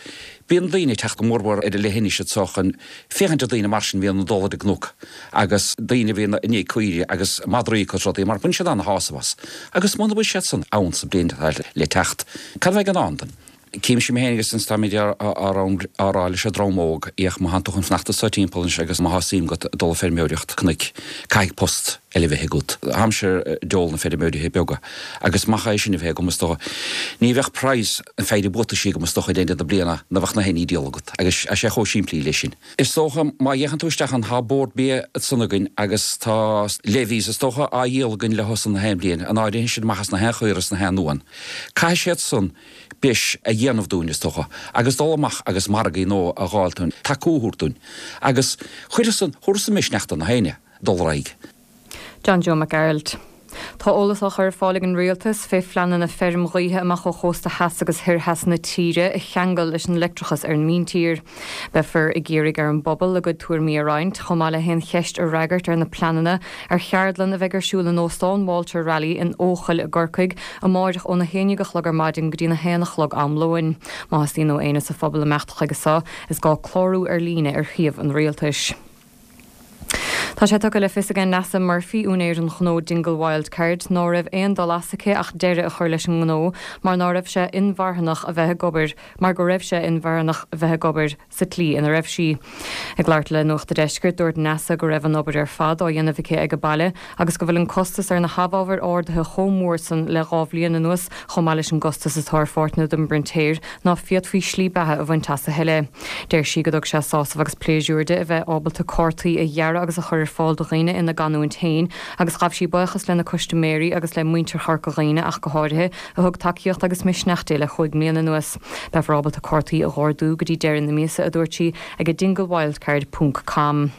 [SPEAKER 12] bíonn daoine ag teacht go mórmhór ar an leithinis anso chun féachaint ar daoine mar sin a bhíonn ag dul ar an gcnoc agus daoine a bhíonn i ndiaidh caoire agus madraí agus rudaí mar baineann siad ana-shásamh as. Agus muna bhfuil siad san ann sa bhliain atá le teacht, cad a bheidh i ndán dúinn? Címse mé féin agus anns táimid á rá leis an dream óg, fhéach, má thánn tú chun fanacht anso timpeall anois agus má thá suim agat dul ag feirmeoireacht cnoic, caithfidh post eile bheith agat. Táimse ar deol na feirmeoirithe beaga agus mach é sin a bheith agam is dócha ní bheadh praghas an pheidhre buataisí agam is dócha ag deireadh na bliana ná bheadh na haon ní díol agat agus tá sé chomh simplí leis sin. Is dócha má fhéachann tú isteach ann tá Bord Bia ansan againn agus tá levies is dócha á dhíol againn leo san na haon bhliain, an áirithe sin amach as na haon chaora is na haon uan. Caithfidh siad san breis a dhéanamh dúinn is dócha agus dul amach agus margaí nua a dh'fháil dúinn, tacú a thabhairt dúinn agus chuirfeadh san, thabharfadh san misneach do na héinne. dul ar aghaidh.
[SPEAKER 10] John Joe Mac Gearailt. Tá eolas á chur ar fáil ag an Rialtas fé phleananna feirm ghaoithe amach ó chósta theas agus thoir theas na tíre a cheangal leis an leictreachas ar an míntír. Beifear ag iarraidh ar an bpobal a gcuid tuairimí a roinnt, chomh maith le haon cheist a fhreagairt ar na pleananna, ar cheardlann a bheidh ar siúl in Óstán Walter Raleigh in Eochaill i gCorcaigh amáireach óna haon dhéag a chlog ar maidin go dtína haon a chlog am lóin. Má theastaíonn ó éinne sa phobal imeacht chuige seo, is gá clárú ar líne ar shuíomh an Rialtais. Tá sé tugtha le fios ag Neasa Murphy, úinéir an ghnó Dingle Wildcard, ná raibh aon dul as aici ach deireadh a chur leis an ngnó mar ná raibh sé inmharthanach a bheith ag obair mar go raibh sé inmharthanach a bheith ag obair sa tslí ina raibh sí. Ag labhairt le Nuacht a' Deiscirt, dúirt Neasa go raibh an obair ar fad á dhéanamh aici ag a baile agus go bhfuil an costas ar na hamhábhair ardaithe chomh mór san le 2 bhliain anuas chomh maith leis an gcostas atá ar pháirteanna don bprintéir ná féadfaí slí beatha a bhaint as a thuilleadh. Deir sí go dtug sé sásamh agus pléisiúr di a bheith ábalta cártaí a dhearadh agus a chur ar fáil do dhaoine ina gcanúint féin agus ghabh sí buíochas lena custaiméirí agus le muintir Chorca Dhuibhne ach go háirithe, a thug tacaíocht agus misneach di le chúig mbliana anuas. Beifear ábalta cártaí a dh'ordú go dtí deireadh na míosa, a dúirt sí, ag dinglewildcard ponc com.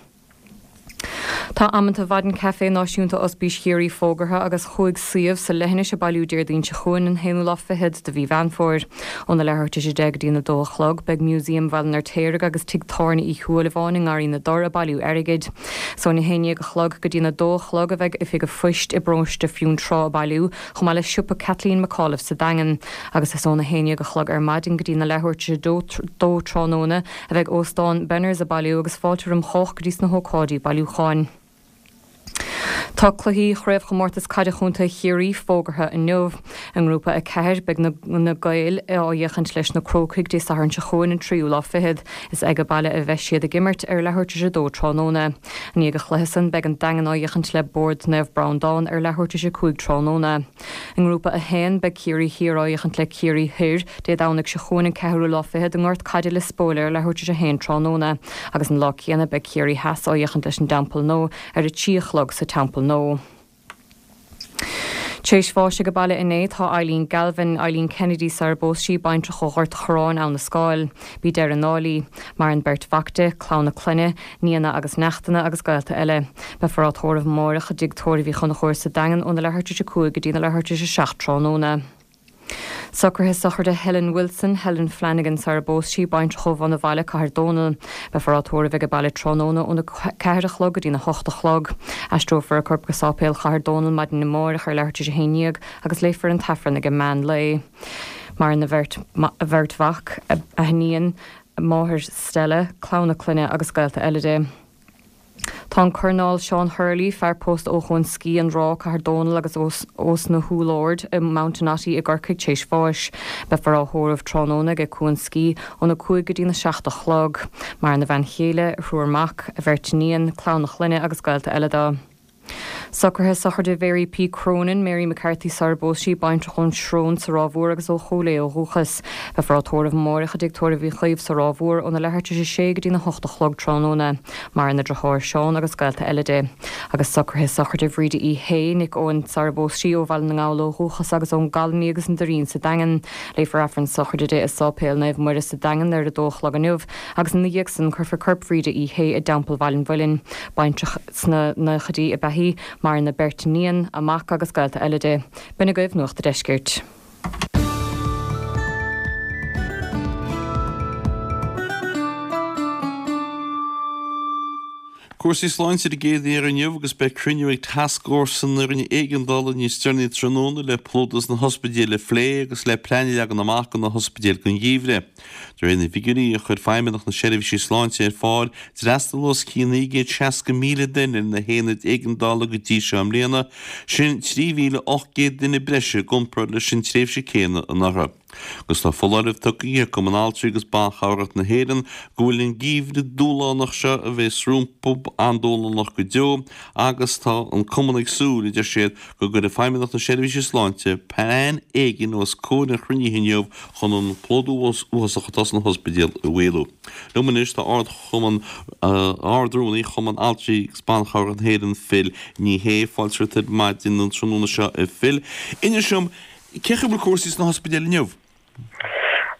[SPEAKER 10] Tá amanta Mhaidin Caife Náisiúnta Ospís Chiarraí fógartha agus chúig suíomh sa leithinis ag bailiú Déardaoin seo chugainn, an haonú lá fichead de mhí Mheán Fómhair. Óna leathuair tar éis a 10 go dtí'n 2 a chlog, beidh Museum Bhaile an Fheirtéaraigh agus Tigh Tábhairne Uí Shúilleabháin i nGarraí na dTor ag bailiú airgid. Is óna 11 a chlog go dtí'n 2 a chlog a bheidh Oifig an Phoist i bParóiste Fionntrá ag bailiú, chomh maith le Siopa Kathleen McAuliffe sa Daingean. Agus is óna 11 a chlog ar maidin go dtí'n leathuair tar éis a 2 tráthnóna a bheidh Óstán Benners ag bailiú agus fáilte roim chách go dtí sna hócáidí bailiúcháin. Tá cluichí Chraobhchomórtas Caide Chontae Chiarraí fógartha inniu. I nGrúpa 4, beidh na Gaeil á fhéachaint leis na Crócaigh Dé Sathairn seo chugainn an tríú lá fichead. Is age baile a bheidh siad ag imirt ar leathuair tar éis a dó tráthnóna. I ndiaidh an chluiche san, beidh an Daingean á fhéachaint le Bord Naomh Breandán ar leathuair tar éis a 5 tráthnóna. I nGrúpa 1, beidh Ciarraí Thiar á fhéachaint le Ciarraí Thoir Dé Domhnaigh seo chugainn an ceathrú lá fichead i nGort Caide Lios Póil ar leathuair tar éis a haon tráthnóna agus an lá céanna beidh Ciarraí Theas á fhéachaint leis an dTeampall Nua ar a trí a chlog sa Teampall Nua. Tar éis bháis age baile inné tá Eileen Galvin, Eileen Kennedy sar a bpós sí, baintreach ó Ghort Chorráin, Abha na Scáil. B'í deireadh na ndáil í. Maireann beirt mhac di, clann a clainne, nianna agus neachtanna agus gaolta eile. Beifear á tórramh amáireach i dTigh Tórraimh Uí Chonchúir sa Daingean óna leathuair tar éis a 5 go dtína leathuair tar éis a 7 tráthnóna. Socruithe sochraide Helen Wilson, Helen Flanagan sar a bpós sí, baintreach ó Bhun a' Bhaile, Cathair Dónall. Beifear á tórramh age baile tráthnóna óna 4 a chlog go dtína 8 a chlog. Aistreofar a corp go Sáipéal Chathair Dónall maidin amáireach ar leathuair tar éis a 11 agus léifear an tAifreann ag an meán lae. Maireann a bheirt mhac, a hiníon, a máthair Stella, clann a clainne agus gaolta eile di. Tá an Coirneál Seán Hurley, fear pósta ó Chuan Scí, An Ráth, Cathair Dónall agus ós na hÚll Ard i Mountainotty i gCorcaigh tar éis bháis. Beifear á thórramh tráthnóna ag Cuan Scí óna 5 go dtína 7 a chlog. Maireann a bhean chéile, a thriúr mac, a bheirt iníon, clann a chlainne agus gaolta eile dó. Socruithe sochraide Mhary P. Cronin, Mary McCarthy sar a bpós sí, baintreach ón Srón sa Ráth Mhór agus ó Chúil Aodha ó dhúchas. Beifear á tórramh amáireach i dTigh Tórraimh Uí Chaoimh sa Ráth Mhór óna leathuair tar éis a sé go dtína hocht a chlog tráthnóna. Maireann a deartháir Seán agus gaolta eile di. Agus socruithe sochraide Bhríde Uí Shé, Nic Eoin sar a bpós sí, ó Bhaile na nGall ó dhúchas agus ón gColony agus an Doirín sa Daingean. Léifear Aifreann sochraide di i Sáipéal Naomh Muire sa Daingean ar a dó a chlog inniu agus ina dhiaidh san cuirfear corp Bhríde Uí Shé i dTeampall Bhaile an Mhuilinn. Baintreach sna naochaidí ab ea í, maireann a beirt iníon, a mac agus gaolta eile di. B'in agaibh Nuacht a' Deiscirt.
[SPEAKER 1] Cúrsaí sláinte ar an gcéad mhír inniu agus beidh cruinniú ag Tascfhórsa na Roinne Éigeandála níos deireanaí tráthnóna le plódú sna hospidéil a phlé agus le plean a leagan amach do na hospidéil don gheimhreadh. De réir na bhfigiúirí a chuir Feidhmeannacht na Seirbhísí Sláinte ar fáil, d'fhreastail os cionn 960,000 duine ar na haonaid éigeandála go dtí seo i mbliana, sin 3,800 duine breise i gcomparáid leis an tréimhse céanna anuraidh. Agus tá foláireamh tugtha ag Cumann Altraí agus Ban Chabhrach na hÉireann go bhfuil an geimhreadh dúshlánach seo a bheas rompu an-dúshlánach go deo agus tá an Cumann ag súil, a deir siad, go gcuirfidh Feidhmeannacht na Seirbhíse Sláinte plean éigin os comhair an chruinnithe inniu chun an plódú uafásach atá sna hospidéil a mhaolú. Liom anois tá Ard-Chumann, Ard-Rúnaí Chumann Altraí agus Ban Chabhrach na hÉireann, Phil Ní Sheaghdha. Fáilte romhat ar maidin an tráthnóna seo a Phil. Inis dom, cén chaoi a bhfuil cúrsaí sna hospidéil inniu?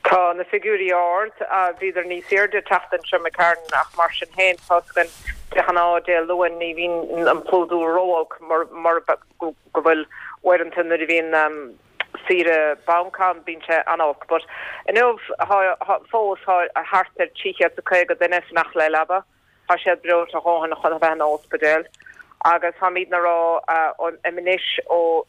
[SPEAKER 13] Tá na figiúirí ard. Bhíodar níos airde an tseachtain seo imigh tharainn ach mar sin féin tá's againn de ghnáth Dé Luain ní bhíonn an plódú ró-olc mar go bhfuil uaireanta nuair a bhíonn saoire banc ann bíonn sé an-olc. But inniu fós tá thart ar 350 duine ag fanacht le leaba. Tá siad breoite a dhóthain chun a bheith in óspidéal agus táimidne a rá anois ó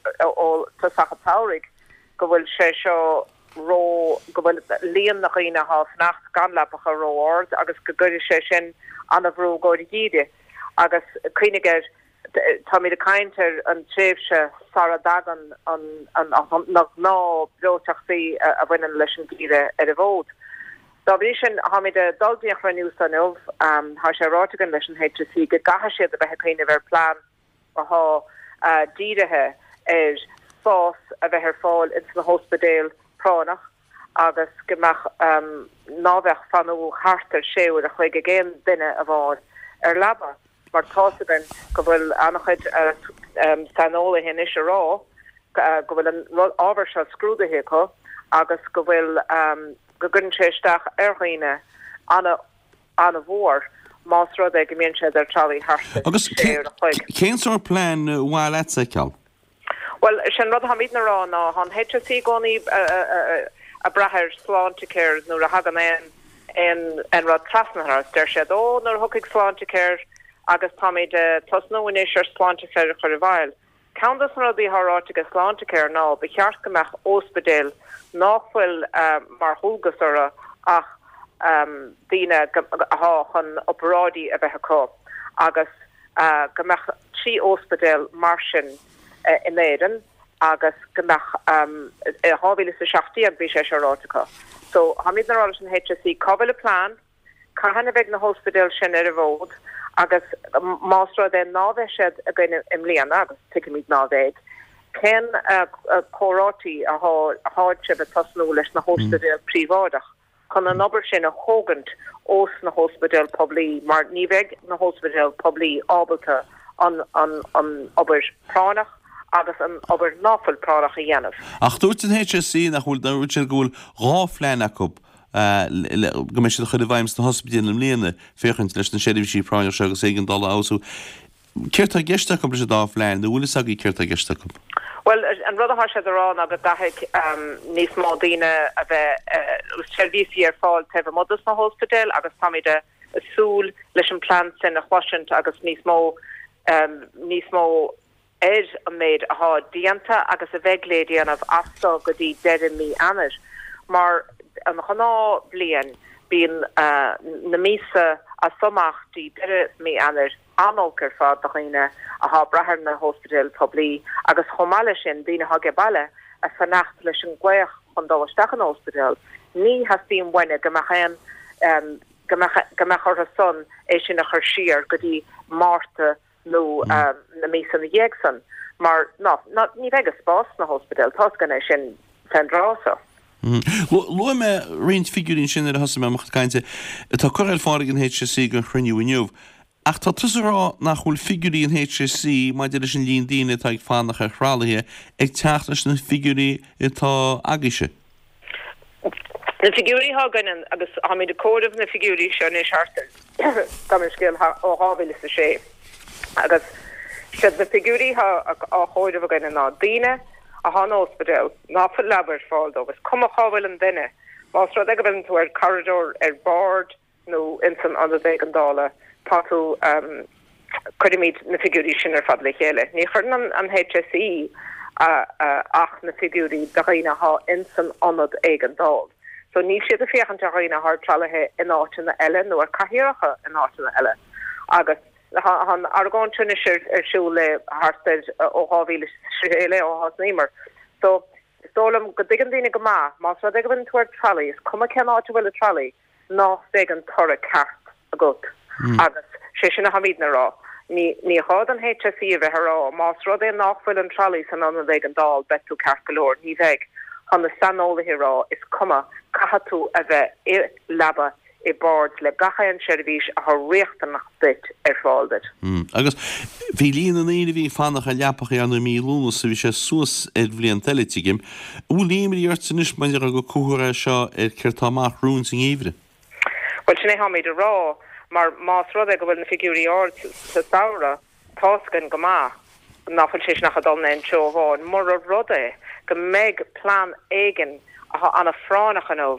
[SPEAKER 13] tosach an tsamhraidh go bhfuil sé seo ró, go bhfuil líon na dhaoine atá ag fanacht gan leapacha ró-ard agus go gcuirfidh sé sin an-bhrú i gcomhair an gheimhridh. Agus cuimhnigh air, táimid ag caint ar an tréimhse sara dtagann na gnáth-bhreoiteachtaí a bhaineann leis an gheimhreadh ar an bhfód. Dá bhrí sin, táimid ag dul dtí an chruinniú seo inniu. Tá sé ráite againn leis an HSE go gcaithfidh siad a bheith ag cuimhneamh ar plean atá dírithe ar spás a bheith ar fáil ins na hóspidéil práinneach agus go mbeadh, ná bheadh fanú thart ar sé uair a chloig ag aon duine amháin ar leaba. Mar tá's againn go bhfuil an-chuid saineolaithe anois a rá go bhfuil an ábhar seo scrúdaithe acu agus go bhfuil, go gcuireann sé isteach ar dhaoine an-mhór más rud é go mbíonn siad ar tralaí thart ar
[SPEAKER 1] Agus
[SPEAKER 13] sé uair a chloig.
[SPEAKER 1] cén sórt plean ba mhaith leat a fheiceáil?
[SPEAKER 13] Bhuel, sé an rud atáimidne a rá ná, tá an HSE i gcónaí ag brath ar Sláintecare nuair a thagann aon aon rud trasna orthu. Deir siad, ó, nuair a thiocfaidh Sláintecare agus táimid ag tosnú anois ar Sláintecare a chur i bhfeighil. Ceann dos na rudaí atá ráite ag Sláintecare ná ba cheart go mbeadh óspidéil nách bhfuil mar dhualgas orthu ach daoine atá chun oparáidí a bheith acu agus go mbeadh. 3 óspidéal mar sin in Éirinn agus go mbeadh, i 2017 bhí sé seo ráite acu. So táimidne ag rá leis an HSE cá bhfuil an plean, cathain a bheidh na hóspidéil sin ar an bhfód agus más rud é ná bheidh siad againn i mbliana, agus tuigimid ná bheidh, cén comhráití athá sibh ag tosnú leis na hóspidéil príobháideach? chun an obair sin a thógaint ós na hóspidéil poiblí mar ní bheidh na hóspidéil poiblí ábalta an an obair práinneach agus an obair ná fuil práinneach a dhéanamh.
[SPEAKER 1] Ach dúirt an HSE nach bhfuil, dúirt siad go bhfuil 2 phlean acu go mbeidh siad a chur i bhfeidhm sna hospidéil i mbliana féachaint leis na seirbhísí práinneach seo agus éigeandála a fheabhsú. Céard tá i gceist acu leis an dá phlean, nó bhfuil fhios agaibh céard tá i gceist acu?
[SPEAKER 13] Bhuel, an rud atá siad a rá ná go gcaithfidh níos mó daoine a bheith, seirbhísí ar fáil taobh amuigh dos na hóspidéil agus táimid ag súil leis an plean sin a chloisint agus níos mó, níos mó ar an méid athá déanta agus a bheidh lé déanamh as so go dtí deireadh mí Eanáir. Mar an ghnáth bhliain bíonn na míosa as so amach dtí deireadh mí Eanáir an-olc ar fad do dhaoine athá ag brath ar na hóspidéil poiblí agus chomh maith leis sin daoine athá age baile ag fanacht leis an glaoch chun dul isteach in óspidéal. Ní theastaíonn uainne go mbeadh aon go mbeadh go mbeadh orthu san é sin a chur siar go dtí Márta nó na míosa ina dhiaidh san mar ná ná ní bheidh an spás sna hóspidéil, tá's againn é sin fén dtráth so.
[SPEAKER 1] Luaigh mé roinnt figiúirí ansin nuair a thosaigh mé mo chuid cainte atá curtha ar fáil ag an HSE don chruinniú inniu. Ach tá tusa ag rá nach bhfuil figiúirí an HSE maidir leis an líon daoine atá ag fanacht ar thralaithe ag teacht leis na figiúirí atá agaibhse.
[SPEAKER 13] Na figiúirí atá againn, agus táimid ag comhaireamh na figiúirí seo anois thart ar, gabh mo leithscéal, ó 2006, agus siad na figiúirí atá á chomhaireamh againne ná daoine athá in óspidéal ná fuil leaba ar fáil dóibh, is cuma cá bhfuil an duine, más rud é go bhfuileann tú ar corridor, ar bord nó ins an ionad éigeandála, tá tú, cuirimid na figiúirí sin ar fad le chéile. Ní chuireann an HSE ach na figiúirí do dhaoine athá ins an ionad éigeandáil. So níl siad ag féachaint ar dhaoine athá ar tralaithe in áiteanna eile nó ar cathaoireacha in áiteanna eile. Agus Tá an argóint seo anois ar siúl le thart ar ó 2006 le ó thosnaíomar. So, is dóigh liom go dtuigeann daoine go maith, más rud é go bhfuileann tú ar tralaí, is cuma cén áit a bhfuil an tralaí, ná beidh an toradh ceart agat. Agus sé sin a tháimidne a rá. Ní ní gá don HSE a bheith a rá, más rud é nách bhfuil an tralaí san ionad éigeandáil, beidh tú ceart go leor. Ní bheidh. Tá na saineolaithe a rá, is cuma, caithfidh tú a bheith i leaba i bord le gach aon seirbhís atá riachtanach duit ar fáil duit.
[SPEAKER 1] Agus bhí líon na ndaoine a bhí ag fanacht ar leapacha ar ndóigh i mí Lúnasa, bhí sé suas ar bhlianta eile, tuigim. An bhfuil imní ort anois mar gur comhartha é seo ar céard tá amach romhainn sa ngeimhreadh?
[SPEAKER 13] Bhuel, sin é tháimid a rá, mar más rud é go bhfuil na figiúirí ard sa samhradh, Tá's againn go maith ná fuil sé sin ach ag dul in aon treo amháin, mura rud é go mbeidh plean éigin athá ana-phráinneach inniu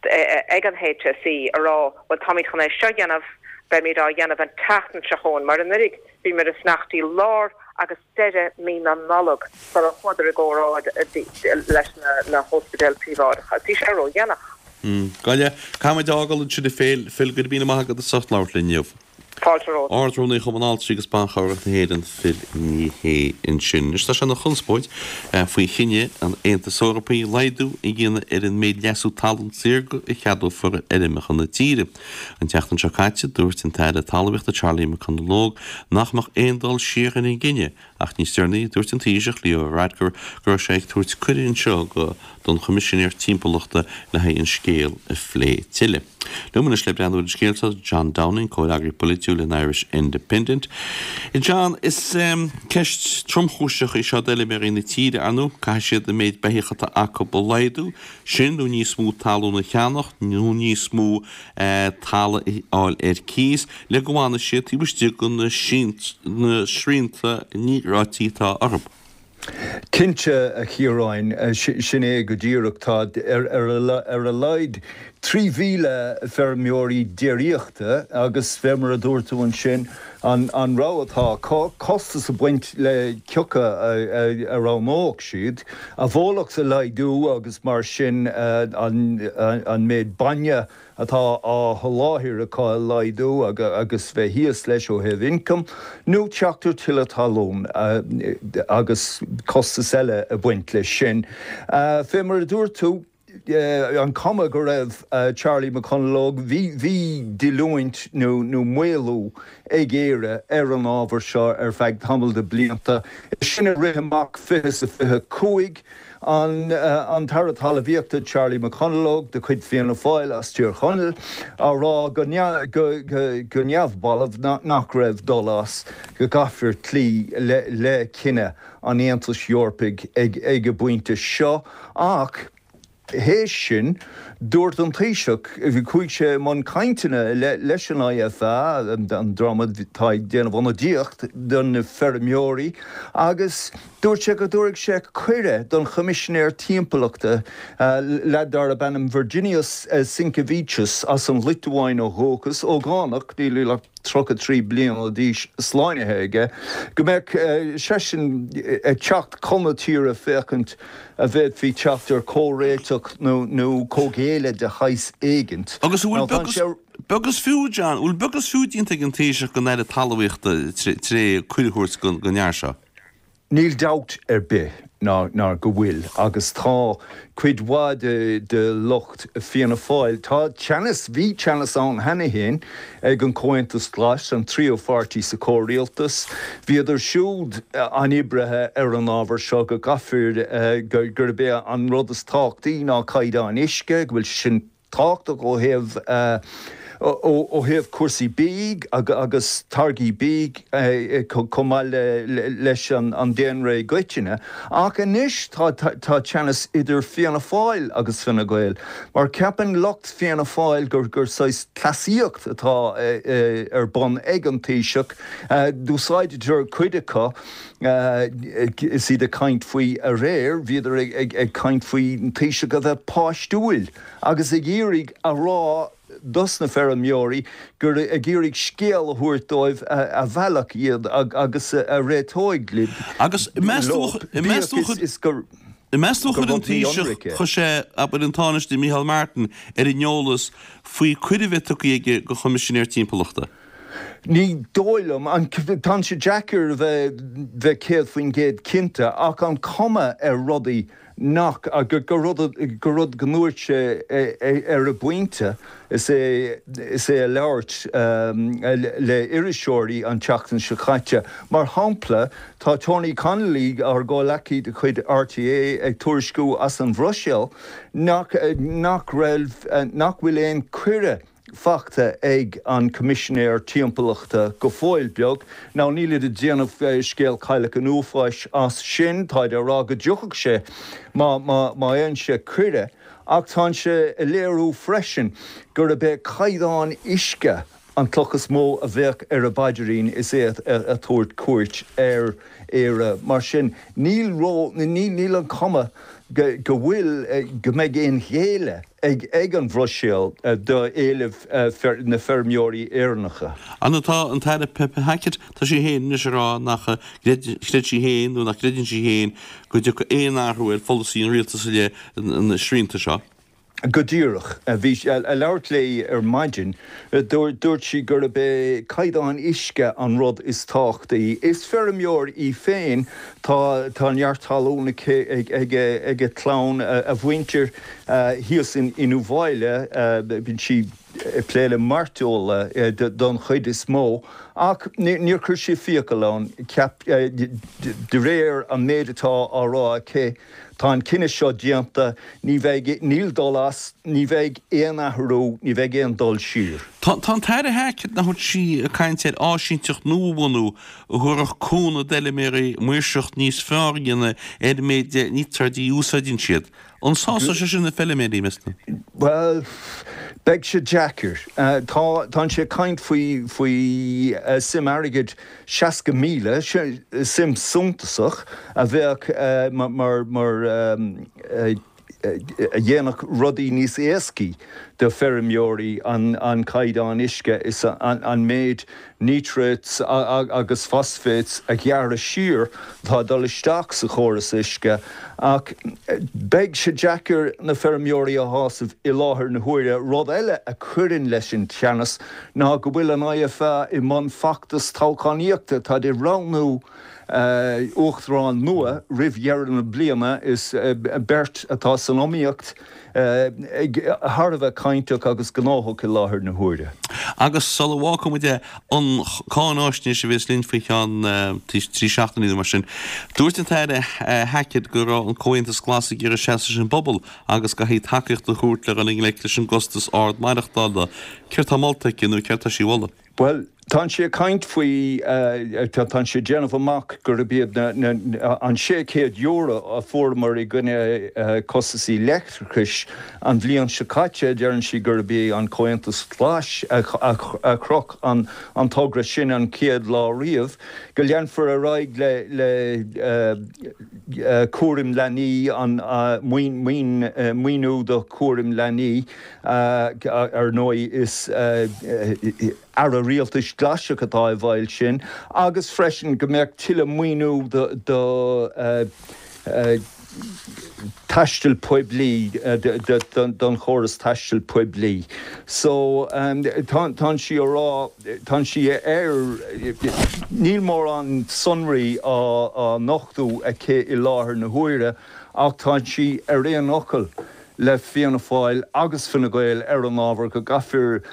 [SPEAKER 13] ag an HSE a rá bhuel táimid chun é seo a dhéanamh, beimid á dhéanamh an tseachtain seo chugainn, mar anuraidh bhíomar ag fanacht dtí lár agus deireadh mí na Nollag sara chuadar i gcomhrá leis na hóspidéil príobháideacha. Bhí sé ródhéanach.
[SPEAKER 1] Gabh i leith. Caithfidh muid a fhágáil ansin a Phil. Phil, go raibh míle maith agat as ucht labhairt linn inniu.
[SPEAKER 13] Fáilte romhat.
[SPEAKER 1] Ard-Rúnaí Chumann Altraí agus Ban Chabhrach na hÉireann, Phil Ní Sheaghdha ansin. Anois tá sé ina chonspóid faoi chinneadh an Aontais Eorpaigh laghdú a dhéanamh ar an méid leasú talún saorga a cheadófar ar fheirmeacha na tíre. An tseachtain seo caite dúirt an tAire Talmhaíochta Charlie McConalogue nach mbeadh aon dul siar ar an gcinneadh Ach níos deireanaí, dúirt an Taoiseach, Leo Varadkar, go raibh sé ag tabhairt cuireadh anseo go don Choimisinéir Timpeallachta le haghaidh an scéal a phlé tuilleadh. Liom anois le breathnú ar an scéal seo, John Downing, comhfhreagraí polaitiúil an Irish Independent. John, is ceist tromchúiseach í seo d'fheilméaraí na tíre, ar ndóigh. Caithfidh siad an méid beithíoch atá acu a laghdú, sin nó níos mó talún a cheannach nó níos mó talamh a fháil ar cíos le go bhfanfaidh siad taobh istigh de na srianta níotráití atá orthu.
[SPEAKER 14] Cinnte, a Chiaráin, sin é go díreach. Tá ar a laghad. 3,000 feirmeoirí déiríochta agus fé mar a dúirt tú ansin, an rogha atá acu, costas ag baint le cioca a roghnódh siad, a bhólacht a laghdú agus mar sin an méid bainne atá á sholáthar acu a laghdú agus bheith thíos leis ó thaobh ioncaim, nó teacht ar tuilleadh talún agus costas eile ag baint leis sin. Fé mar a dúirt tú, an cuma go raibh Charlie McConalogue, bhí, bhí díolúint nó maolú ag Éire ar an ábhar seo ar feadh tamall de blianta, é sin ag rith amach 20 is 25. An tAire Talmhaíochta Charlie McConalogue de chuid Fianna Fáil as Tír Chonaill á rá go neamhbalbh nach raibh dul as, go gcaithfear cloí le cinneadh an Aontais Eorpaigh ag an bpointe seo ach théis sin dúirt an Taoiseach, chuaigh sé i mbun cainteanna leis an IFA, an dream atá ag déanamh ionadaíocht do na feirmeoirí agus Dúirt sé go dtabharfadh sé cuireadh don Choimisinéir Timpeallachta, leaid darb ainm Virginijus Sinkevičius as an Liotuáin ó dhúchas, ógánach, níl ach 33 bliana d'aois slánaithe aige, go mbeadh seisean ag teacht chun na tíre féachaint a bhféadfaí teacht ar chomhréiteach nó comhghéilleadh de shaghas éigint.
[SPEAKER 1] Agus an bhfuil beag is beag is fiú, John, an bhfuil beag is fiú déanta ag an Taoiseach don Aire Talmhaíochta tré cuireadh a thabhairt don fhear seo?
[SPEAKER 14] Níl dabht ar bith ná go bhfuil, agus tá cuid mhaith de lucht Fianna Fáil, tá teannas, bhí teannas ann cheana féin ag an Comhaontas Glas, an tríú pháirtí sa chomhrialtas, bhíodar siúd an-oibrithe ar an ábhar seo, go gcaithfear, gurb é an rud is tábhachtaí ná caighdeán uisce, go bhfuil sé sin tábhachtach ó thaobh ó thaobh cúrsaí bídh agus táirgí bídh chomh maith leis an daonra i gcoitinne. Ach anois tá tá teannas idir Fianna Fáil agus Fine Gael mar ceapann lucht Fianna Fáil gur gur saghas cleasaíocht atá ar bun ag an Taoiseach. D'úsáideadar cuid acu is iad ag caint faoi aréir, bhíodar ag caint faoin Taoiseach a bheith páistiúil. agus ag iarraidh a rá dos na feirmeoirí gur ag iarraidh scéal a thabhairt dóibh a mheallfadh iad agus a réiteoidh
[SPEAKER 1] Agus meas tú meas tú bíodh is gur meas tú chuir an rud Taoiseach é. chuir sé abair an Tánaiste Micheál Martin ar an eolas faoi cuireadh a bheith tugtha aige go Choimisinéir Timpeallachta?
[SPEAKER 14] Ní dóigh liom, tá sé deacair a bheith bheith 100% cinnte ach an cuma ar rudaí nach, gur rud, gur rud go ndúirt sé ar an bpointe is é, is é ag labhairt le iriseoirí an tseachtain seo caite. Mar shampla, tá Tony Connelly, ár gcomhleacaí de chuid RTÉ, ag tuairisciú as an Bhruiséil nach, nach raibh, nach bhfuil aon cuireadh fachta ag an Coimisinéir Timpeallachta go fóill beag. Now nílid ag déanamh scéal Cailleach an Uafáis as sin, táid á rá go dtiocfadh sé má má má fhaigheann sé cuireadh, ach tánn sé ag léiriú freisin gurb é caighdeán uisce an cloch is mó a bheadh ar a bpaidrín is é ag tabhairt cuairt ar Éire. Mar sin níl ró níl níl an cuma go go bhfuil go mbeidh aon ghéilleadh ag an Bhruiséil d'éilimh na feirmeoirí Éireannacha.
[SPEAKER 1] An atá an tAire Pippa Hackett, tá sí féin anois ag rá nach chreid sí féin nó nach gcreideann sí féin go dtiocfaidh aon athrú ar pholasaí an rialtais i leith na srianta seo.
[SPEAKER 14] Go díreach. Bhí sí ag labhairt léi ar maidin. Dúirt sí gurb é caighdeán uisce an rud is tábhachtaí. Is feirmeoir í féin. Tá neart talún aici ag a clann, a mhuintir. Thíos in Uíbh Fhailí, bíonn sí ag plé le mairteola don chuid is mó, ach níor chuir sí fiacail ann. Ceap, de réir an méid atá á rá aici, tá an cinneadh seo déanta, ní bheidh, níl dul as, ní bheidh aon athrú, ní bheidh aon dul siar.
[SPEAKER 1] Tá an tAire Hackett, nach bhfuil sí ag caint ar áisínteacht nua a bhunú a thabharfadh cúnamh d'fheilméaraí maoirseacht níos fearr a dhéanamh ar an méid de níotráidí a úsáideann siad. An sásóidh sé sin na feilméaraí, meas tú?
[SPEAKER 14] Bhuel, beidh sé deacair. Tá, tánn sé ag caint faoi, faoi suim airgid 60,000, suim suntasach a bheadh mar, mar, a dhéanfadh rudaí níos éascaí. do feirmeoirí an caighdeán uisce is an méid nitrates agus phosphates a ghearradh siar atá ag dul isteach sa chóras uisce ach beidh sé deacair na feirmeoirí a shásamh i láthair na huaire. Rud eile a chuireann leis an teannas ná go bhfuil an IFA i mbun feachtas toghchánaíochta, táid ag roghnú uachtarán nua roimh dheireadh na bliana. Is beirt atá san iomaíocht ag thar a bheith cainteach agus gnóthach i láthair na huaire.
[SPEAKER 1] Agus sula bhfágfaidh muid é, an cáináisnéis a bhéas linn faoi cheann trí seachtainí nó mar sin, dúirt an tAire Hackett go raibh an Comhaontas Glas ag iarraidh seasamh leis an bpobal agus go gcaithfí tacaíocht a thabhairt le dhul i ngleic leis an gcostas ard maireachtála. Céard tá molta aici nó céard tá sí a mholadh?
[SPEAKER 14] Bhuel, tánn sí ag caint faoi, tánn sí ag déanamh amach gurb iad na, an €600 a fuaireamar i gcoinne costasaí leictreachais an bhliain seo caite, deireann sí gurb é an Comhaontas Glas a chroch an togra sin an chéad lá riamh, go leanfar ar aghaidh le cúram leanaí, an maoiniú do chúram leanaí. Ar ndóigh, is Aire Rialtais Glaisach atá i bhfeighil sin, agus freisin go mbeadh tuilleadh maoiniú do taisteal poiblí, don chóras taistil poiblí. So, tánn sí a rá, tánn sí ar, níl mórán sonraí á nochtadh aici i láthair na huaire ach tánn sí ar aon fhocal le Fianna Fáil agus Fine Gael ar an ábhar go gcaithfear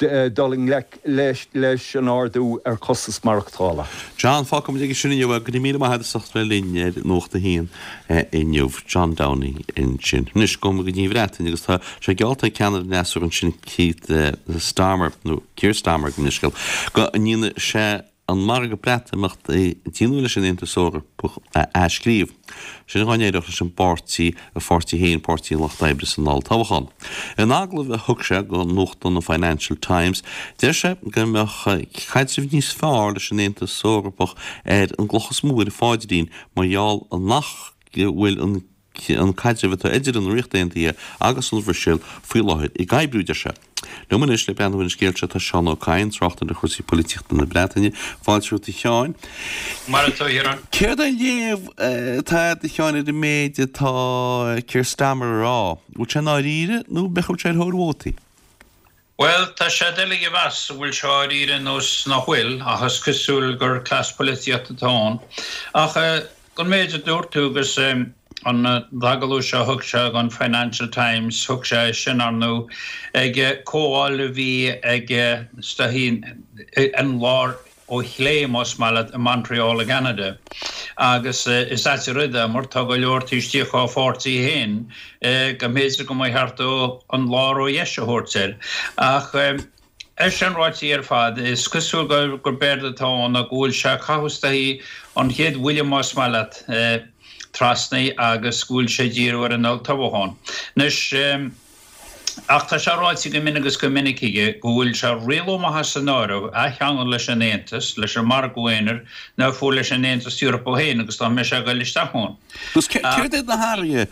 [SPEAKER 14] dul i ngleic leis an ardú ar chostas maireachtála.
[SPEAKER 1] John, Fágfaidh muid aige sin inniu é. Go raibh míle maith agat as ucht bheith linn ar Nuacht a hAon inniu. John Downing ansin. Anois, gabhfaidh muid go dtí an Bhreatain agus tá sé geallta ag ceannaire an fhreasúra ansin Keith Starmer, nó Keir Starmer gabh mo leithscéal, go ndéanfaidh sé an margadh Breatimeachta a déanadh leis an Aontas Eorpach a athscríobh. Sin dhá n-éireodh leis an bpáirtí, a pháirtí féin, Páirtí an Lucht Oibre san olltoghchán. In agallamh a thug sé do nuachtán an Financial Times, deir sé go mbeadh caidreamh níos fearr leis an Aontas Eorpach ar an gcloch is mó ar a pháidrín mar gheall nach bhfuil an an caidreamh atá idir an Ríocht Aontaithe agus an Bhruiséil faoi láthair ag oibriú, deir sé. Liom anois le breathnú ar an scéal seo tá Seán Ó Cadhain, tráchtaire ar chúrsaí polaitíochta na Breataine. Fáilte romhat a Sheáin.
[SPEAKER 15] Mar atá, a Chiaráin.
[SPEAKER 1] Céard é an léamh atá agat a Sheáin ar an méid atá Keir Starmer a rá? Bhfuil sé i ndáiríre nó b'fhéidir go bhfuil sé ar thóir vótaí?
[SPEAKER 15] Bhuel, tá sé doiligh a mheas an bhfuil sé dháiríre nó nach bhfuil, ach is cosúil gur cleas polaitíochta atá ann. Ach don méid a dúirt tú agus an t-agallamh seo a thug sé don Financial Times, thug sé é sin, ar ndóigh, ag comhdháil a bhí ag is dóichí an lár ó chlé, más maith leat, i Montreal i gCeanada. Agus is ait an rud é mar tá go leor taobh istigh dá pháirtí féin go mb'fhéidir go mba cheart dó an lár ó dheis a thabhairt air. Ach é sin ráite ar fad, is cosúil gurb éard atá ann ná go bhfuil sé ag caitheamh is dóichí an chéad bhuille, más maith leat, trasna agus go bhfuil sé ag díriú ar an olltoghchán. Anois. Ach tá sé ráite go mion agus go minic aige go bhfuil sé rialómaithe san áireamh athcheangal leis an Aontas, leis an margadh aonair, nó fiú leis an Aontas Eorpach féin agus dá mbeadh sé ag dul isteach ann.
[SPEAKER 1] Agus céard iad na hathruithe,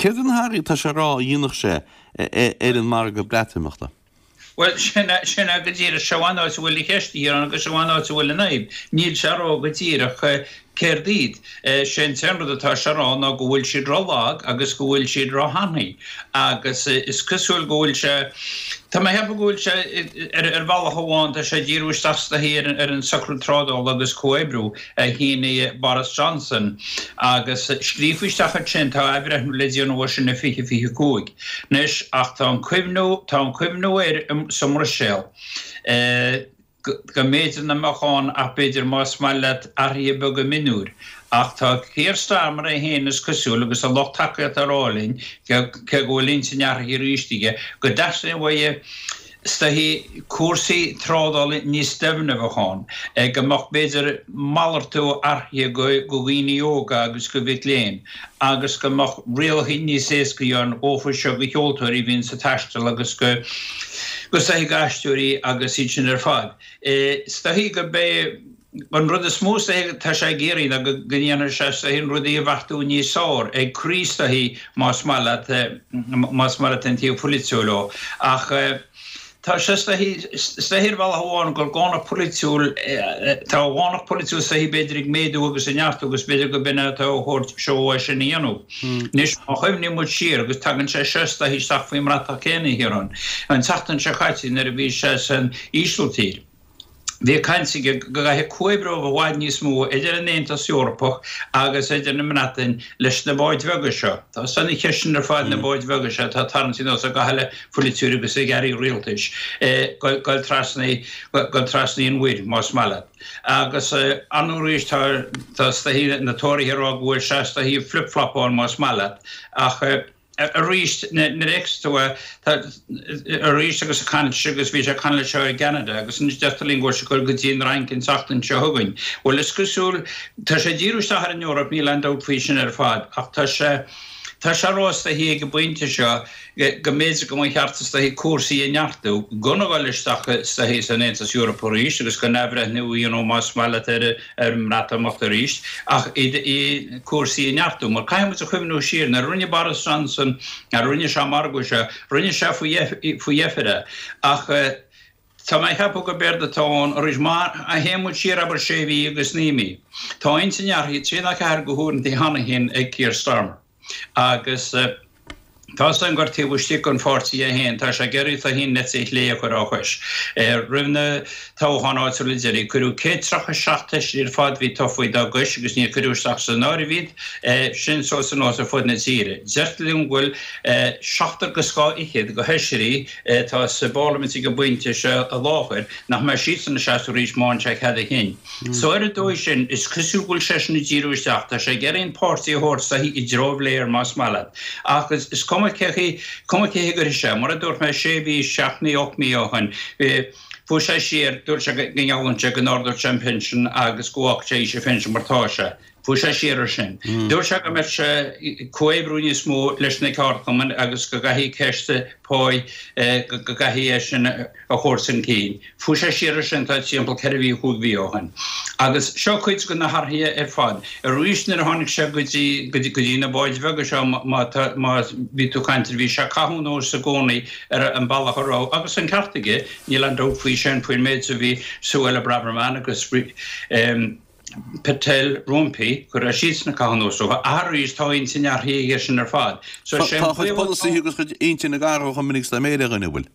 [SPEAKER 1] céard iad na hathruithe atá sé a rá a dhéanfadh sé ar an margadh Breatimeachta?
[SPEAKER 15] Bhuel, sin é, sin é go díreach. Seo an áit a bhfuil an cheist, a Chiaráin, agus seo an áit a bhfuil an fhadhb. Níl sé a rá go díreach céard iad. Sé an t-aon rud atá sé a rá ná go bhfuil siad ro-lag agus go bhfuil siad ro-thanaí. Agus is cosúil go bhfuil sé, tá mé a cheapadh go bhfuil sé, ar bhealach amháin, tá sé ag díriú isteach is dóichí ar an socrú trádála agus comhoibriú a shínigh Boris Johnson agus scríofa isteach ansin, tá athbhreithniú le déanamh air sin i 2025. Anois, ach tá an cuimhniú, tá an cuimhniú air sa mBruiséil go mb'fhéidir nach mbeadh ann ach b'fhéidir más maith leat athruithe beaga mionúir. Ach tá Keir Starmer é féin is cosúil agus a lucht tacaíochta ag rá linn, cé go bhfuil intinn athraithe arís aige, go dteastaíonn uaidh is dóichí cúrsaí trádála níos doimhne a bheadh ann, go mbeadh b'fhéidir malartú athraithe go dhaoine óga agus go mhic léinn agus go mbeadh rialacha níos éascaí ann dhófa seo go cheoltóirí a bhíonns ag taisteal agus go is dóichí go aisteoirí agus iad sin ar fad. Is dóichí gurb é. An rud is mó is dóichí atá sé ag iarraidh ná go ndéanfaidh sé is dóichí rudaí a bheachtú níos fearr, ag croí is dóichí más maith leat, más maith leat an taobh polaitiúil ó. Ach tá sé is dóichí, is dóichí ar bhealach amháin gur dánacht polaitiúil, tá a dhánacht polaitiúil is dóichí b'fhéidir ag méadú agus ag neartú agus b'fhéidir go b'in é atá á thabhairt seo é sin a dhéanamh. Anois má chuimhníonn muid siar agus tagann sé seo is dóichí isteach faoin mbratach céanna a Chiaráin, an tseachtain seo caite nuair a bhí sé san Ísiltír, Bhí caint aige go gcaithfidh comhoibriú i bhfad níos mó idir an Aontas Eorpach agus idir an mBreatain leis na báid bheaga seo. Tá san cheist sin ar fad, na báid bheaga seo atá tarraingt anuas ag gach uile pholaiteoir agus ag airí rialtais dul trasna dul trasna an mhuir, más maith leat. Agus ar ndóigh arís tá tá is dóichí na Tóraithe ag rá go bhfuil sé is dóichí ag flip-flopáil más maith leat ach Arís, nuair a fheiceas tú é, tá, arís agus ag caint agus bhí sé ag caint leis seo i gCeanada agus anois deirtear linn go bhfuil sé ag dul go dtí an Fhrainc an tseachtain seo chugainn. Bhuel, is cosúil, tá sé ag díriú isteach ar an Eoraip, níl aon dabht faoi sin ar fad, ach tá sé, tá sé ag rá is dóichí ag an bpointe seo go mb'fhéidir go mba cheart is dóichí cúrsaí a neartú, gan a dhul isteach is dóichí san Aontas Eorpach arís agus gan athbhreithniú a dhéanamh más maith leat ar ar an mBreatimeacht arís, ach iad cúrsaí a neartú. Mar caithfidh muid a chuimhniú siar, nuair a rinne Boris Johnson, nuair a rinne sé an margadh seo, rinne sé faoi dheifir é. Ach tá mé ag ceapadh gurb éard atá ann arís, má théann muid siar abair sé mhí agus naoi mí, tá intinn athraithe trí nó ceathair de huaireanta cheana féin ag Keir Starmer. Agus tá 's agam gur taobh istigh den pháirtí é féin, tá sé ag iarraidh is dóichí an eite chlé a chur á chois. Roimh na toghcháin áitiúla deiridh, cuireadh 137 feisire ar fad a bhí tofa dá gcois agus níor cuireadh isteach san áireamh iad sin suas anuas ar fud na tíre. Deirtear liom go bhfuil seachtar agus dhá fhichead de fheisirí atá sa bParlaimint ag an bpointe seo i láthair nach mbeidh siadsan ag seasamh arís má fhaigheann sé cead a chinn. So ar an dóigh sin, is cosúil go bhfuil seisean ag díriú isteach, tá sé ag iarraidh an páirtí a thabhairt is dóichí i dtreo Bhlair más maith leat. Ach is cuma cé chaoi, cuma cé chaoi a gcuirfidh sé, mar a dúirt mé sé mhí, seacht mí, ocht mí ó shin, fuair sé siar, dúirt sé go ngeallann sé go n-ardódh sé an pinsean agus go bhfágfadh sé aois an phinsin mar tá sé. Fuair sé siar ar sin. Dúirt sé go mbeadh sé ag comhoibriú níos mó leis na ceardchumainn agus go gcaithfidh ceist páí, go gcaithfidh é sin a chur chun cinn. Fuair sé siar ar sin tá timpeall ceithre mhí, chúig mhí ó shin. Agus seo cuid de na hathruithe ar fad. Arís nuair a tháinig sé go dtí, go dtí na báid bheaga seo má tá, má bhí tú ag caint air, bhí sé ag caitheamh anuas i gcónaí ar an bealach a raibh, agus an ceart aige, níl aon dabht faoi sin, faoin méid a bhí Suella Braverman agus Patel roimpi, go raibh siadsan ag caitheamh anuas orthu. Ach arís, tá intinn athraithe aige sin ar fad.
[SPEAKER 1] So sé an Tá a chuid polasaithe agus a chuid intinn ag athrú chomh minic is dá méire a dhuine, an bhfuil?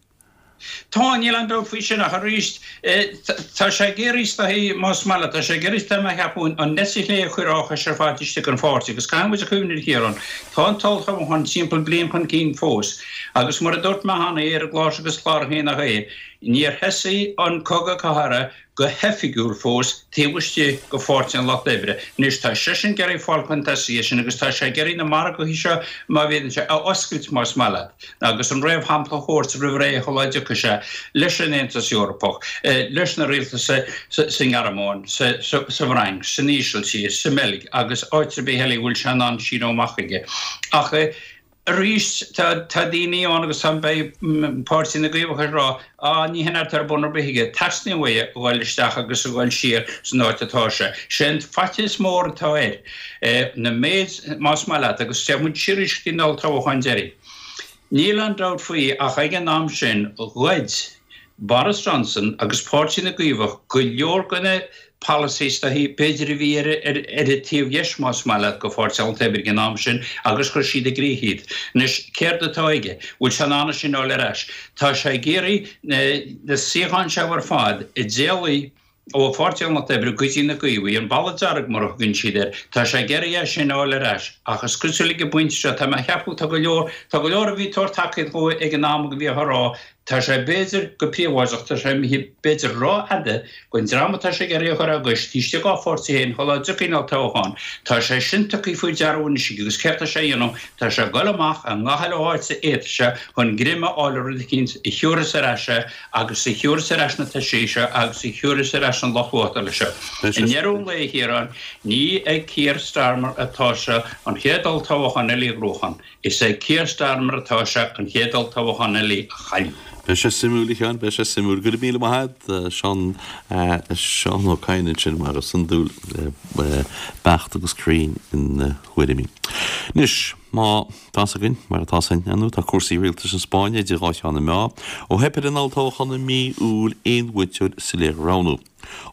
[SPEAKER 15] Tá, níl aon dabht faoi sin, ach arís, tá sé ag iarraidh is dóichí, más maith leat, tá sé ag iarraidh, tá mé a cheapadh, an eite chlé a chur á chois ar fad istigh den pháirtí, agus caithfidh muid a chuimhneamh, a Chiaráin, tá an t-olltoghchán timpeall bliain chun cinn fós, agus mar a dúirt mé cheana ar an gclár seo agus cláracha nach é, níor thosaigh an cogadh cathartha go hoifigiúil fós taobh istigh de Pháirtí an Lucht Oibre. Anois tá seisean ag iarraidh fáil chun tosaigh air sin agus tá sé ag iarraidh na margaí seo, má bhíonn sé, a oscailt más maith leat, agus an réamhshampla a thabhairt roimh ré shula dtiocfaidh sé leis an Aontas Eorpach, leis na rialtais sa nGearmáin, sa bhFrainc, san Ísiltír, sa mBeilg agus áit ar bith eile a bhfuil sé in ann síneadh amach aige. Ach. Arís, tá daoine ann agus tá, beidh Páirtí na gCaomhach ag rá, á, ní hin atá ar bun ar bith aige, teastaíonn uaidh a dhul isteach agus a dhul siar san áit atá sé. Sé an faitíos mór atá air, na méid, más maith leat, agus téann muid siar arís go dtí an olltoghchán deiridh. Níl aon dabht faoi ach ag an am sin, ghoid Boris Johnson agus Páirtí na gCaomhach go leor de na polasaithe is dóichí, b'fhéidir, a bhí ar an taobh dheis, más maith leat, de Pháirtí an Lucht Oibre ag an am sin agus chuir siad i gcrích iad. Anois, céard atá aige? Bhfuil sé in ann é sin a fháil ar ais? Tá sé ag iarraidh na suíocháin seo ar fad a d'éalaigh ó Pháirtí an Lucht Oibre go dtí na Caomhaigh, an Balla Dearg mar a thugann siad air, tá sé ag iarraidh é sin a fháil ar ais. Ach is cosúil ag an bpointe seo, tá mé a cheapadh, tá go leor, tá go leor a bhí ag tabhairt tacaíocht dhó ag an am a bhíodh á rá, Tá sé b'fhéidir go príobháideach, tá sé imithe b'fhéidir rófhada don dream atá sé ag iarraidh a chur á gcois taobh istigh dá pháirtí féin shula dtiocfaidh an olltoghchán. Tá sé sin tugtha faoi deara anois aige agus céard tá sé a dhéanamh? Tá sé ag dul amach i ngach uile áit a fhéadfas sé chun greim a fháil ar rud eicínt a thiúrfas ar ais é agus a thiúrfas ar ais na toisí seo agus a thiúrfas ar ais an lucht vótála seo. I ndeireadh an lae, a Chiaráin, ní ag Keir Starmer atá sé an chéad olltoghchán eile a ghnóthachan. Is ag Keir Starmer atá sé an chéad olltoghchán eile a chailleadh.
[SPEAKER 1] Beidh sé suimiúil, a Sheáin, beidh sé suimiúil. Go raibh míle maith agat, Seán, Seán Ó Cadhain ansin, mar is iondúil, beacht agus cruinn ina thuairimí. Anois, má tá's againn, mar atá 's againn, ar ndóigh, tá cúrsaí rialtais na Spáinne idir dhá cheann na meá, ó theip ar an olltoghchán i mí Iúil aon bhuaiteoir soiléir a roghnú.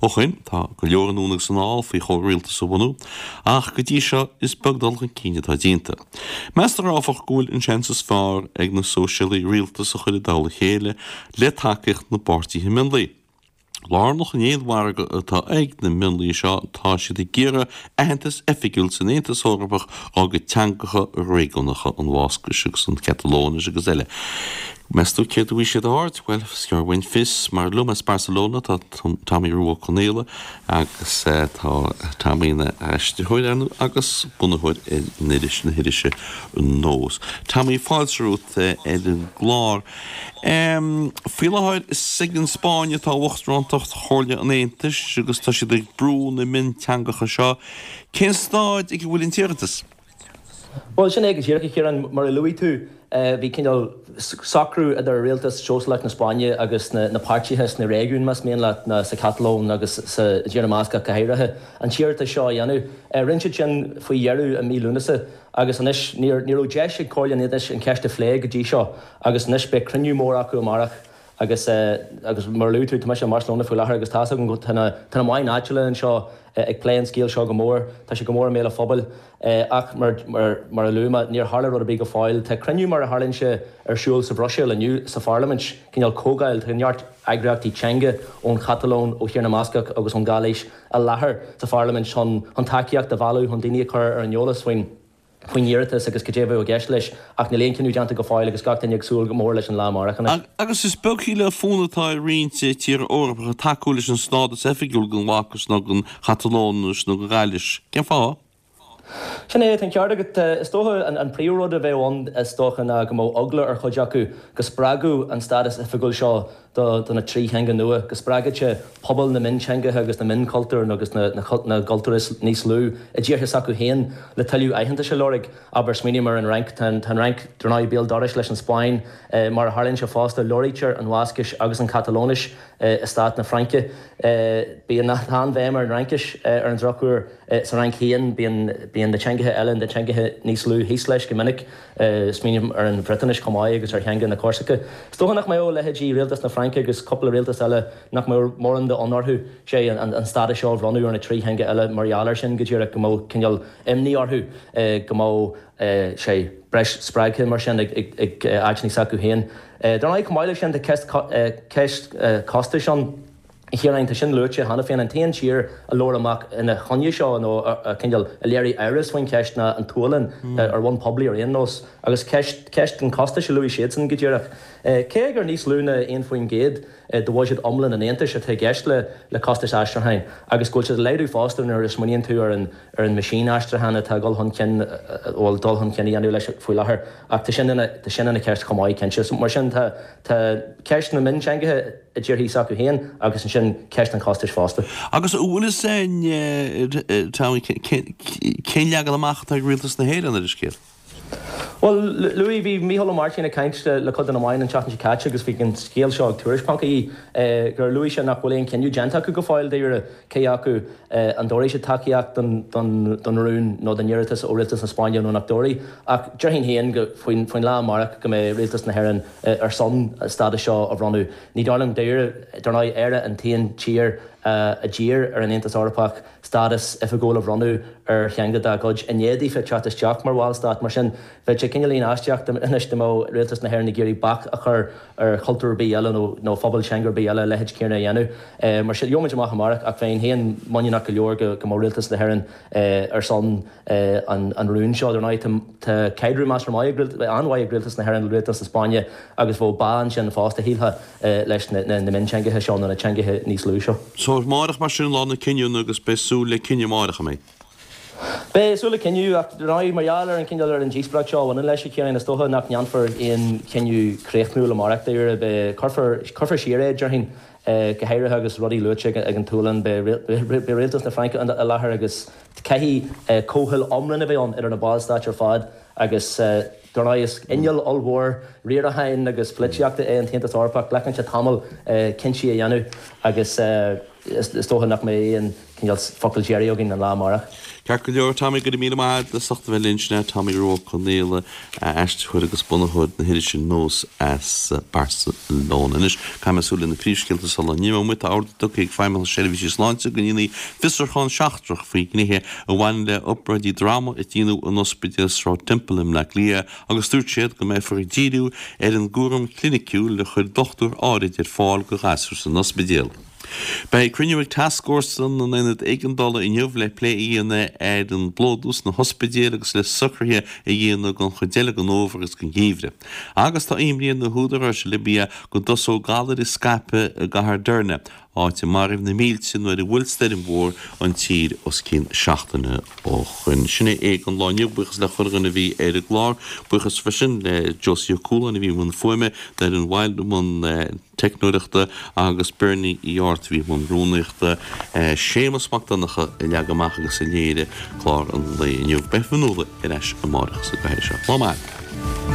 [SPEAKER 1] Ó shoin, tá go leor anonn agus anall faoi chomhrialtas a bhunú, ach go dtí seo is beag dul chun cinn atá déanta. Meastar, áfach, go bhfuil an seans is fearr ag na Sóisialaigh rialtas a chur i dtoll a chéile le tacaíocht na bpáirtithe mionlaigh. Lárnach in aon mhargadh atá ag na mionlaigh seo, tá siad ag iarraidh aitheantas oifigiúil san Aontas Eorpach dá gcuid teangacha réigiúnacha, an Bhascais agus an Chatalóinis agus eile. Meas tú céard a bhfaighidh siad aird? Bhuel, is gearr uainn fios, mar liom as Barcelona tá Tommy Rua Ó Conaola agus tá Tommy ina aistritheoir, ar ndóigh, agus bunaitheoir ar an iris, na hirise Nós. Tommy, fáilte romhat ar an gclár. Faoi láthair is ag an Spáinn atá uachtarántacht Chomhairle an Aontais agus tá siad ag brú na mionteangacha seo. Cén staid ag a bhfuil an t-iarratas?
[SPEAKER 16] Bhuel, sin é go díreach, a Chiaráin. Mar a luaigh tú, bhí cineál socrú idir rialtas sóisialach na Spáinne agus na páirtithe sna réigiúin, más mian leat, ná sa Chatalóin agus sa dTír na mBascach go háirithe, an t-iarratas seo a dhéanamh. Rinne siad sin faoi dheireadh i mí Lúnasa agus anois ní raibh deis ag Comhairle an Aontais an cheist a phlé go dtí seo agus anois beidh cruinniú mór acu amárach Agus, agus mar a luaigh tú, tá mise i mBarcelona faoi láthair agus tá's agam go, tá na, tá na meáin áitiúla anseo ag plé an scéil seo go mór, tá sé go mór i mbéal an phobail. Ach mar, mar, mar a luaigh mé, níor tharla rud ar bith go fóill. Tá cruinniú mar a tharlaíonn sé ar siúl sa Bhruiséil inniu, sa Pharlaimint, cineál comhdháil, tá neart eagraíochtaí teanga ón Chatalóin, ó Thír na mBascach agus ón Ghailís i láthair sa Pharlaimint chun, chun tacaíocht a mhealladh, chun daoine a chur ar an eolas faoin. faoin iarratas agus cad é a bheadh i gceist leis, ach níl aon chinneadh déanta go fóill agus gach duine ag súil go mór leis an lá amárach anois.
[SPEAKER 1] Agus is beag shílfeá fonn atá ar roinnt tíortha Eorpacha tacú leis an stádas oifigiúil don Bhascais nó don Chatalóinis nó don Ghailís. Cén fáth?
[SPEAKER 16] Sin é, tá an ceart agat. Is dócha an príomhrud a bheadh ann is dócha ná go mbeadh eagla ar chuid acu go spreagfadh an stádas oifigiúil seo do na 3 theanga nua, go spreagfadh sé pobal na mionteangacha agus na mionchultúr agus na gcultúr is níos lú i dtíortha s'acu féin le tuilleadh aitheantais a lorg. Abair, smaoiním ar an Fhrainc. Tá an Fhrainc, dar ndóigh, béal dorais leis an Spáinn. Mar a tharlaíonn sé fosta, labhraítear an Bhascais agus an Chatalóinis i stát na Fraince. Bíonn an-bhéim ar an Fhraincis, ar an drochuair. Sa Fhrainc féin, bíonn na teangacha eile, na teangacha níos lú thíos leis go minic. Smaoiním ar an Bhriotáinis chomh maith agus ar theanga na Corsaice. Is dócha nach mbeadh leithéidí rialtas na Fraince agus cúpla rialtas eile, nach mbeadh mórán de fhonn orthu, sé, an stádas seo a bhronnadh ar na 3 theanga eile mar gheall air sin go díreach, go mbeadh cineál imní orthu go mbeadh, sé, breis spreagtha mar sin ag áiteanna s'acu féin. Dar ndóigh, chomh maith leis sin, tá ceist costais ann. A Chiaráin, tá sin luaite cheana féin. An t-aon tír a labhair amach ina choinne seo, nó a cineál a léirigh amhras faoin cheist ná an tSualainn, ar bhonn poiblí ar aon nós. Agus ceist, ceist an chostais a luaigh siadsan go díreach. Cé gur níos lú ná 1% de bhuiséad iomlán an Aontais atá i gceist le le costais aistriúcháin, agus go bhfuil siad ag laghdú fosta nuair a smaoiníonn tú ar an ar an meaisín aistriúcháin atá ag dul chun cinn, a bhfuil dul chun cinn a dhéanamh leis faoi láthair. Ach tá sin ina, tá sin ina cheist chomh maith, cinnte. So mar sin tá, tá ceist na mionteangacha, i dtíorthaí s'acu féin agus ansin ceist an chostais fosta.
[SPEAKER 1] Agus an bhfuil fhios a'inn, Tommy, cén leagan amach atá ag Rialtas na hÉireann ar an scéal?
[SPEAKER 16] Bhuel, luaigh, bhí Mícheál Ó Máirtín ag caint le cuid de na meáin an tseachtain seo caite agus bhí an scéal seo ag Tuairisc ponc ie gur luaigh sé nach bhfuil aon chinneadh déanta acu go fóill dáiríre cé acu an dtabharfaidh siad tacaíocht don rún nó don iarratas ó Rialtas na Spáinne nó nach dtabharfaidh. Ach déarfainn féin go faoin lá amárach go mbeidh Rialtas na hÉireann ar son an stádas seo a bhronnadh. Ní dóigh liom dáiríre, dar ndóigh, Éire an t-aon tír a d'iarr ar an Aontas Eorpach stádas oifigiúil a bhronnadh ar theanga dá gcuid i ndiaidh daofa teacht isteach mar bhallstát. Mar sin, bheadh sé cineáilín aisteach anois dá mbeadh rialtas na hÉireann ag iarraidh bac a chur ar chultúr ar bith eile nó phobal teanga ar bith eile a leithéid céanna a dhéanamh. Mar sin, gheobhaimid amach amárach ach bheinn féin muiníneach go leor go mbeadh rialtas na hÉireann ar son an rúin seo. Dar ndóigh, tá caidreamh measartha maith ag, an-mhaith ag Rialtas na hÉireann le Rialtas na Spáinne agus bheadh bá ansin fosta, shílfeá, leis na mionteangacha seo nó na teangacha níos lú seo.
[SPEAKER 1] So, amárach mar sin lá na cinniúna agus beidh súil le cinneadh amárach, an mbeidh?
[SPEAKER 16] Beidh súil le cinneadh ach dar ndóigh, mar gheall ar an cineál, ar an díospóireacht seo a bhaineann leis, a Chiaráin, is dócha nach ndéanfar aon chinneadh críochnúil amárach dáiríre. Beidh, cuirfear, cuirfear siar é, déarfainn. Go háirithe agus rudaí luaite ag an tSualainn, beidh rialtas na Fraince i láthair agus caithfidh comhthoil iomlán a bheith ann idir na ballstáit ar fad agus. Dar ndóigh, is inneall ollmhór riaracháin agus polaitíochta é an tAontas Eorpach, glacann sé tamall cinntí a dhéanamh agus is dócha nach mbeidh aon cineál focal deiridh againn an lá amárach.
[SPEAKER 1] Ceart go leor, Tommy, go raibh míle maith agat as ucht a bheith linn. Sin é Tommy Rua Ó Conaola, aistritheoir agus bunaitheoir na hirise Nós as Barcelona. Anois, caithfidh mé súil ar na príomhscéalta sula n-imeoidh muid. Tá ordú tugtha ag Feidhmeannas Seirbhísí Sláinte go ndéanfaí fiosrúchán seachtrach faoi ghnéithe a bhaineann le obráidí droma a déanadh in Ospidéal Sráid Temple i mBleá Cliath agus dúirt siad go mbeifear ag díriú ar an gcúram cliniciúil a chuir dochtúir áirid ar fáil do ghasúir san ospidéal. Beidh cruinniú ag Tascfhórsa na nAonad Éigeandála inniu le plé a dhéanamh ar an bplódú sna hospidéil agus le socruithe a dhéanamh don chuid eile den fhómhar agus don gheimhreadh. Agus tá imní ar na húdaráis i Libia go dtosóidh galair ag scaipeadh i gcathair Derna, áit a maraíodh na mílte nuair a bhuail stoirm mhór an tír os cionn seachtaine ó shoin. Sin é don lá inniu. Buíochas le chuile dhuine a bhí ar an gclár. Buíochas freisin le Josie Ó Cualáin a bhí i mbun fuaime, Doireann Wilde i mbun teicneoireachta agus Bernie Uí Airt a bhí i mbun rúnaíochta. Séamus Mac Donncha a leag amach agus a léirigh clár an lae inniu. Beidh Fionnuala ar ais amárach sa gcathaoir seo. Lá maith.